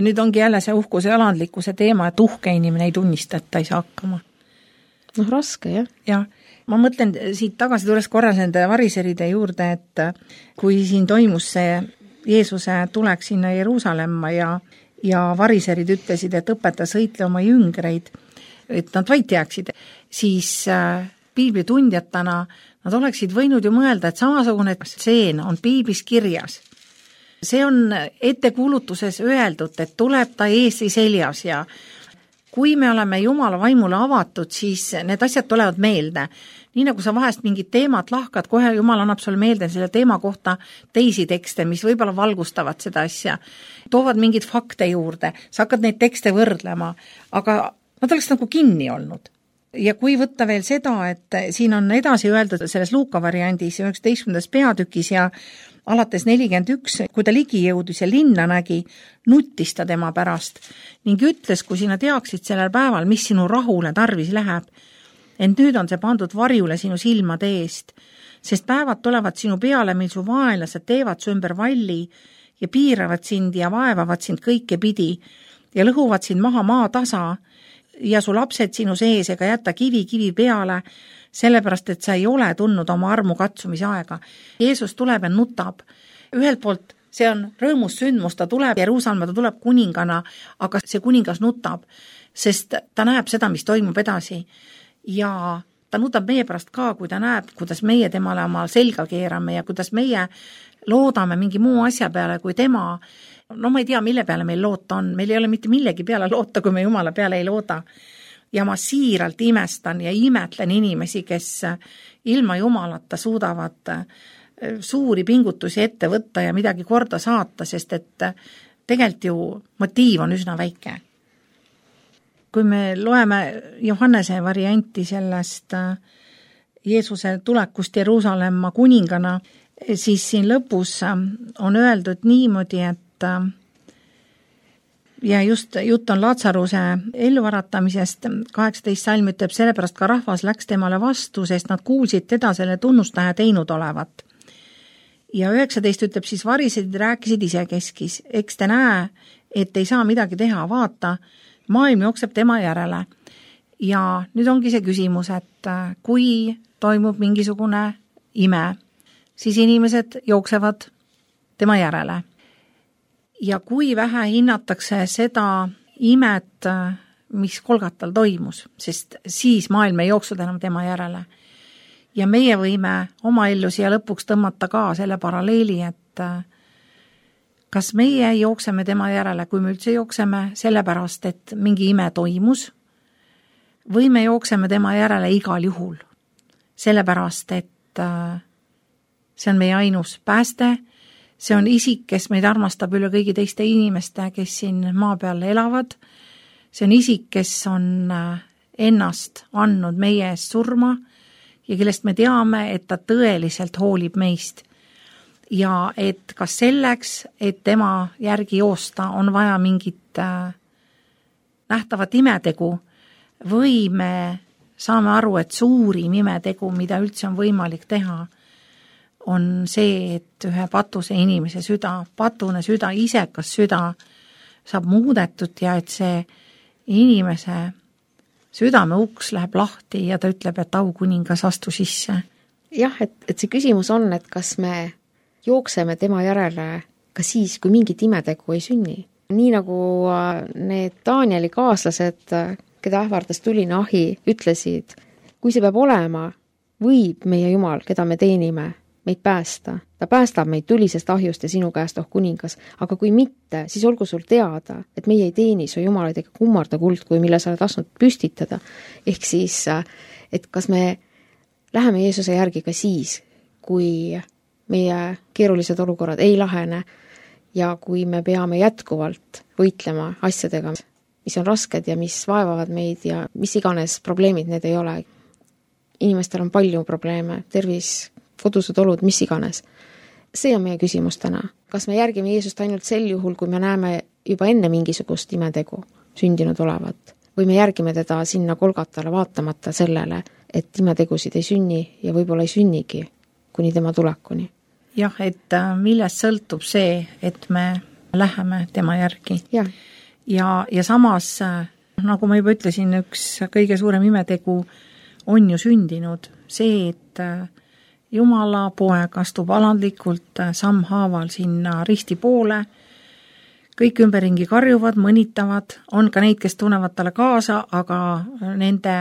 Nüüd ongi jälle see uhkuse ja alandlikkuse teema, et uhke inimene ei tunnista, et ta ei saa hakkama. Raske, jah. Ja ma mõtlen siit tagasi tulles korra nende variseride juurde, et kui siin toimus see Jeesuse tulek sinna Jeruusalemma ja variserid ütlesid, et õpeta sõitle oma jüngreid, et nad vaid teaksid, siis piiblitundjatena nad oleksid võinud ju mõelda, et samasugune stseen on piiblis kirjas. See on ettekuulutuses öeldud, et tuleb ta eesi seljas ja kui me oleme Jumala vaimule avatud, siis need asjad tulevad meelde. Nii nagu sa vahest mingid teemad lahkad, kohe Jumal annab sulle meelde selle teema kohta teisi tekste, mis võib-olla valgustavad seda asja. Toovad mingid fakte juurde, sa hakkad neid tekste võrdlema, aga nad oleks nagu kinni olnud. Ja kui võtta veel seda, et siin on edasi öeldud selles Luuka variandis 19. peatükis ja alates 41, kui ta ligi jõudis ja linna nägi, nuttis ta tema pärast ning ütles, kui sina teaksid sellel päeval, mis sinu rahule tarvis läheb, ent nüüd on see pandud varjule sinu silmade eest, sest päevad tulevad sinu peale, mil su vaenlased teevad su ümber valli ja piiravad sind ja vaevavad sind kõike pidi ja lõhuvad sind maha maatasa ja su lapsed sinu sees ega jätta kivi peale, sellepärast, et sa ei ole tundnud oma armu katsumise aega. Jeesus tuleb ja nutab. Ühelt poolt see on rõõmus sündmus, ta tuleb Jeruusalemma, ta tuleb kuningana, aga see kuningas nutab, sest ta näeb seda, mis toimub edasi. Ja ta nutab meie pärast ka, kui ta näeb, kuidas meie temale oma selga keerame ja kuidas meie loodame mingi muu asja peale kui tema. No ma ei tea, mille peale meil loota on. Meil ei ole mitte millegi peale loota, kui me Jumala peale ei looda. Ja ma siiralt imestan ja imetlen inimesi, kes ilma Jumalata suudavad suuri pingutusi ette võtta ja midagi korda saata, sest et tegelikult ju motiiv on üsna väike. Kui me loeme Johannese varianti sellest Jeesuse tulekust Jeruusalemma kuningana, siis siin lõpus on öeldud niimoodi, et ja just jutt on Laatsaruse elluvaratamisest, 18 salm ütleb, sellepärast ka rahvas läks temale vastu, sest nad kuulsid teda selle tunnustaja teinud olevat. Ja 19 ütleb, siis varisid rääkisid isekeskis, eks te näe, et ei saa midagi teha, vaata, maailm jookseb tema järele. Ja nüüd ongi see küsimus, et kui toimub mingisugune ime, siis inimesed jooksevad tema järele. Ja kui vähe hinnatakse seda imet, mis Kolgatal toimus, sest siis maailm ei jooksnud enam tema järele. Ja meie võime oma ellu siia lõpuks tõmmata ka selle paralleeli, et kas meie jookseme tema järele, kui me üldse jookseme sellepärast, et mingi ime toimus, või me jookseme tema järele igal juhul, sellepärast, et see on meie ainus pääste, see on isik, kes meid armastab üle kõigi teiste inimeste, kes siin maa peal elavad, see on isik, kes on ennast andnud meie eest surma ja kellest me teame, et ta tõeliselt hoolib meist. Ja et kas selleks, et tema järgi joosta, on vaja mingit nähtavat imetegu või me saame aru, et suurim imetegu, mida üldse on võimalik teha, on see, et ühe patuse inimese süda, patune süda, isekas süda saab muudetud ja et see inimese südame uks läheb lahti ja ta ütleb, et aukuningas astu sisse. Jah, et see küsimus on, et kas me jookseme tema järele ka siis, kui mingit imetegu ei sünni. Nii nagu need Danieli kaaslased, keda ähvardas tuline ahi, ütlesid, kui see peab olema, võib meie Jumal, keda me teenime, meid päästa. Ta päästab meid tulisest ahjust ja sinu käest, kuningas. Aga kui mitte, siis olgu sul teada, et meie ei teeni su Jumalaid ega kummarda kuldkuju, mille sa oled lasknud püstitada. Ehk siis, et kas me läheme Jeesuse järgi ka siis, kui meie keerulised olukorrad ei lahene ja kui me peame jätkuvalt võitlema asjadega, mis on rasked ja mis vaevavad meid ja mis iganes probleemid need ei ole. Inimestel on palju probleeme, tervis, kodused olud, mis iganes. See on meie küsimus täna. Kas me järgime Jeesust ainult sel juhul, kui me näeme juba enne mingisugust imetegu sündinud olevat? Või me järgime teda sinna Golgatale vaatamata sellele, et imetegusid ei sünni ja võib-olla ei sünnigi kuni tema tulekuni? Jah, et millest sõltub see, et me läheme tema järgi. Ja samas, nagu ma juba ütlesin, üks kõige suurem imetegu on ju sündinud. See, et Jumala poeg astub alandlikult sammhaaval sinna risti poole, kõik ümberringi karjuvad, mõnitavad, on ka neid, kes tunnevad talle kaasa, aga nende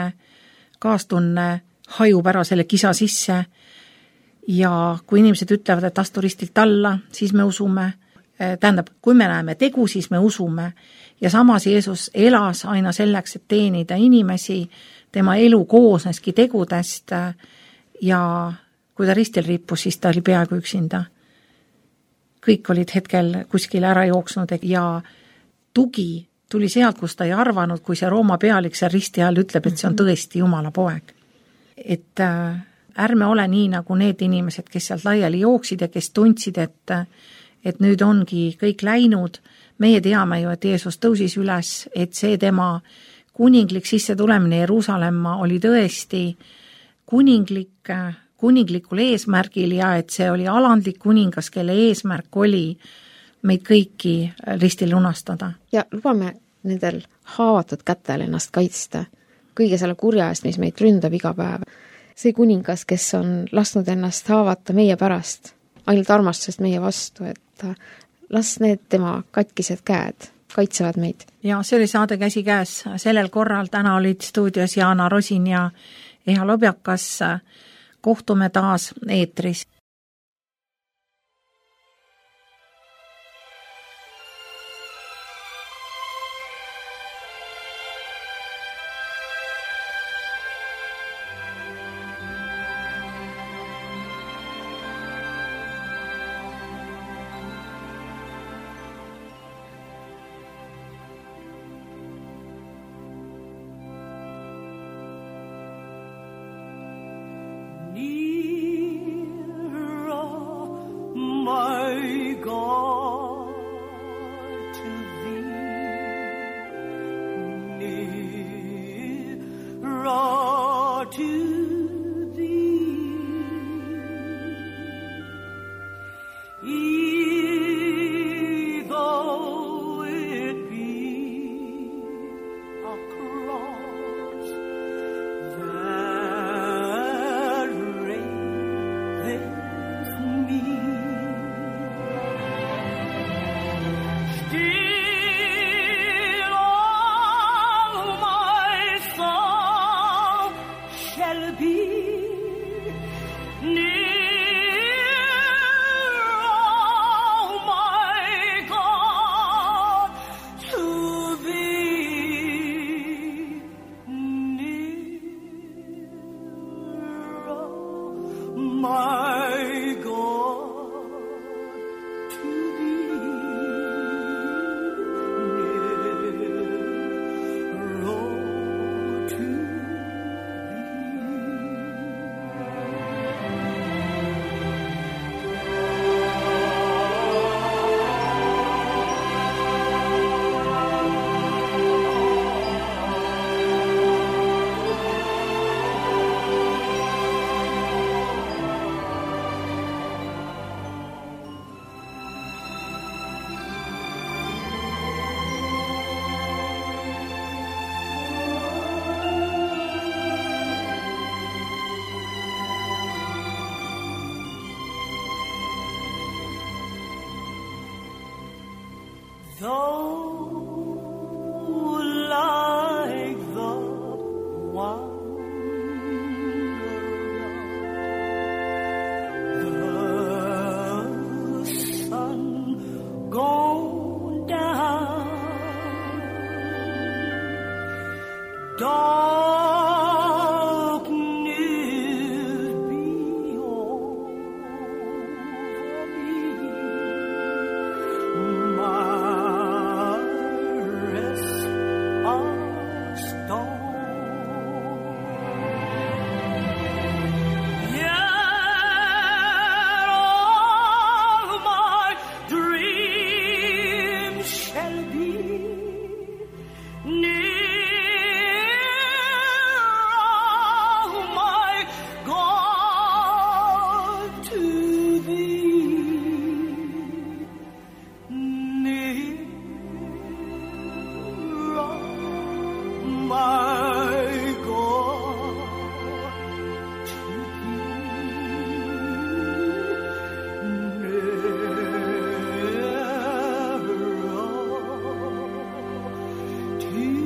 kaastunne hajub ära selle kisa sisse ja kui inimesed ütlevad, et astu ristilt alla, siis me usume, tähendab, kui me näeme tegu, siis me usume ja samas Jeesus elas aina selleks, et teenida inimesi, tema elu koosneski tegudest ja kui ta ristil rippus, siis ta oli peaaegu üksinda. Kõik olid hetkel kuskil ära jooksnud ja tugi tuli sealt, kus ta ei arvanud, kui see Rooma pealik seal risti all ütleb, et see on tõesti Jumala poeg. Et ärme ole nii nagu need inimesed, kes sealt laiali jooksid ja kes tundsid, et nüüd ongi kõik läinud. Meie teame ju, et Jeesus tõusis üles, et see tema kuninglik sisse tulemine Jeruusalemma oli tõesti kuninglikul eesmärgil ja et see oli alandlik kuningas, kelle eesmärk oli meid kõiki ristil lunastada. Ja lubame nendel haavatud kätel ennast kaitsta kõige selle kurja eest, mis meid ründab iga päev. See kuningas, kes on lasknud ennast haavata meie pärast, ainult armastusest meie vastu, et las need tema katkised käed kaitsevad meid. Ja see oli saade Käsi käes. Sellel korral täna olid stuudios Jaana Rosin ja Eha Lobjakas. Kohtume taas eetris. My God. Gone down, darkness be over me, my rest are stone. Yeah, all my dreams shall be near, oh my God, to thee, near, oh my God, to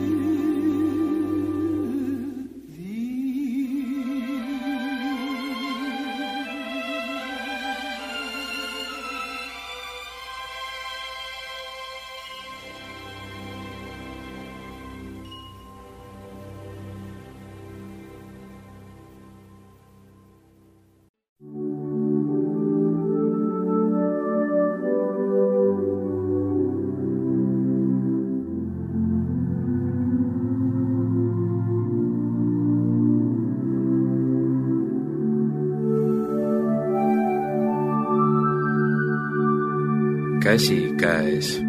Käsi käes.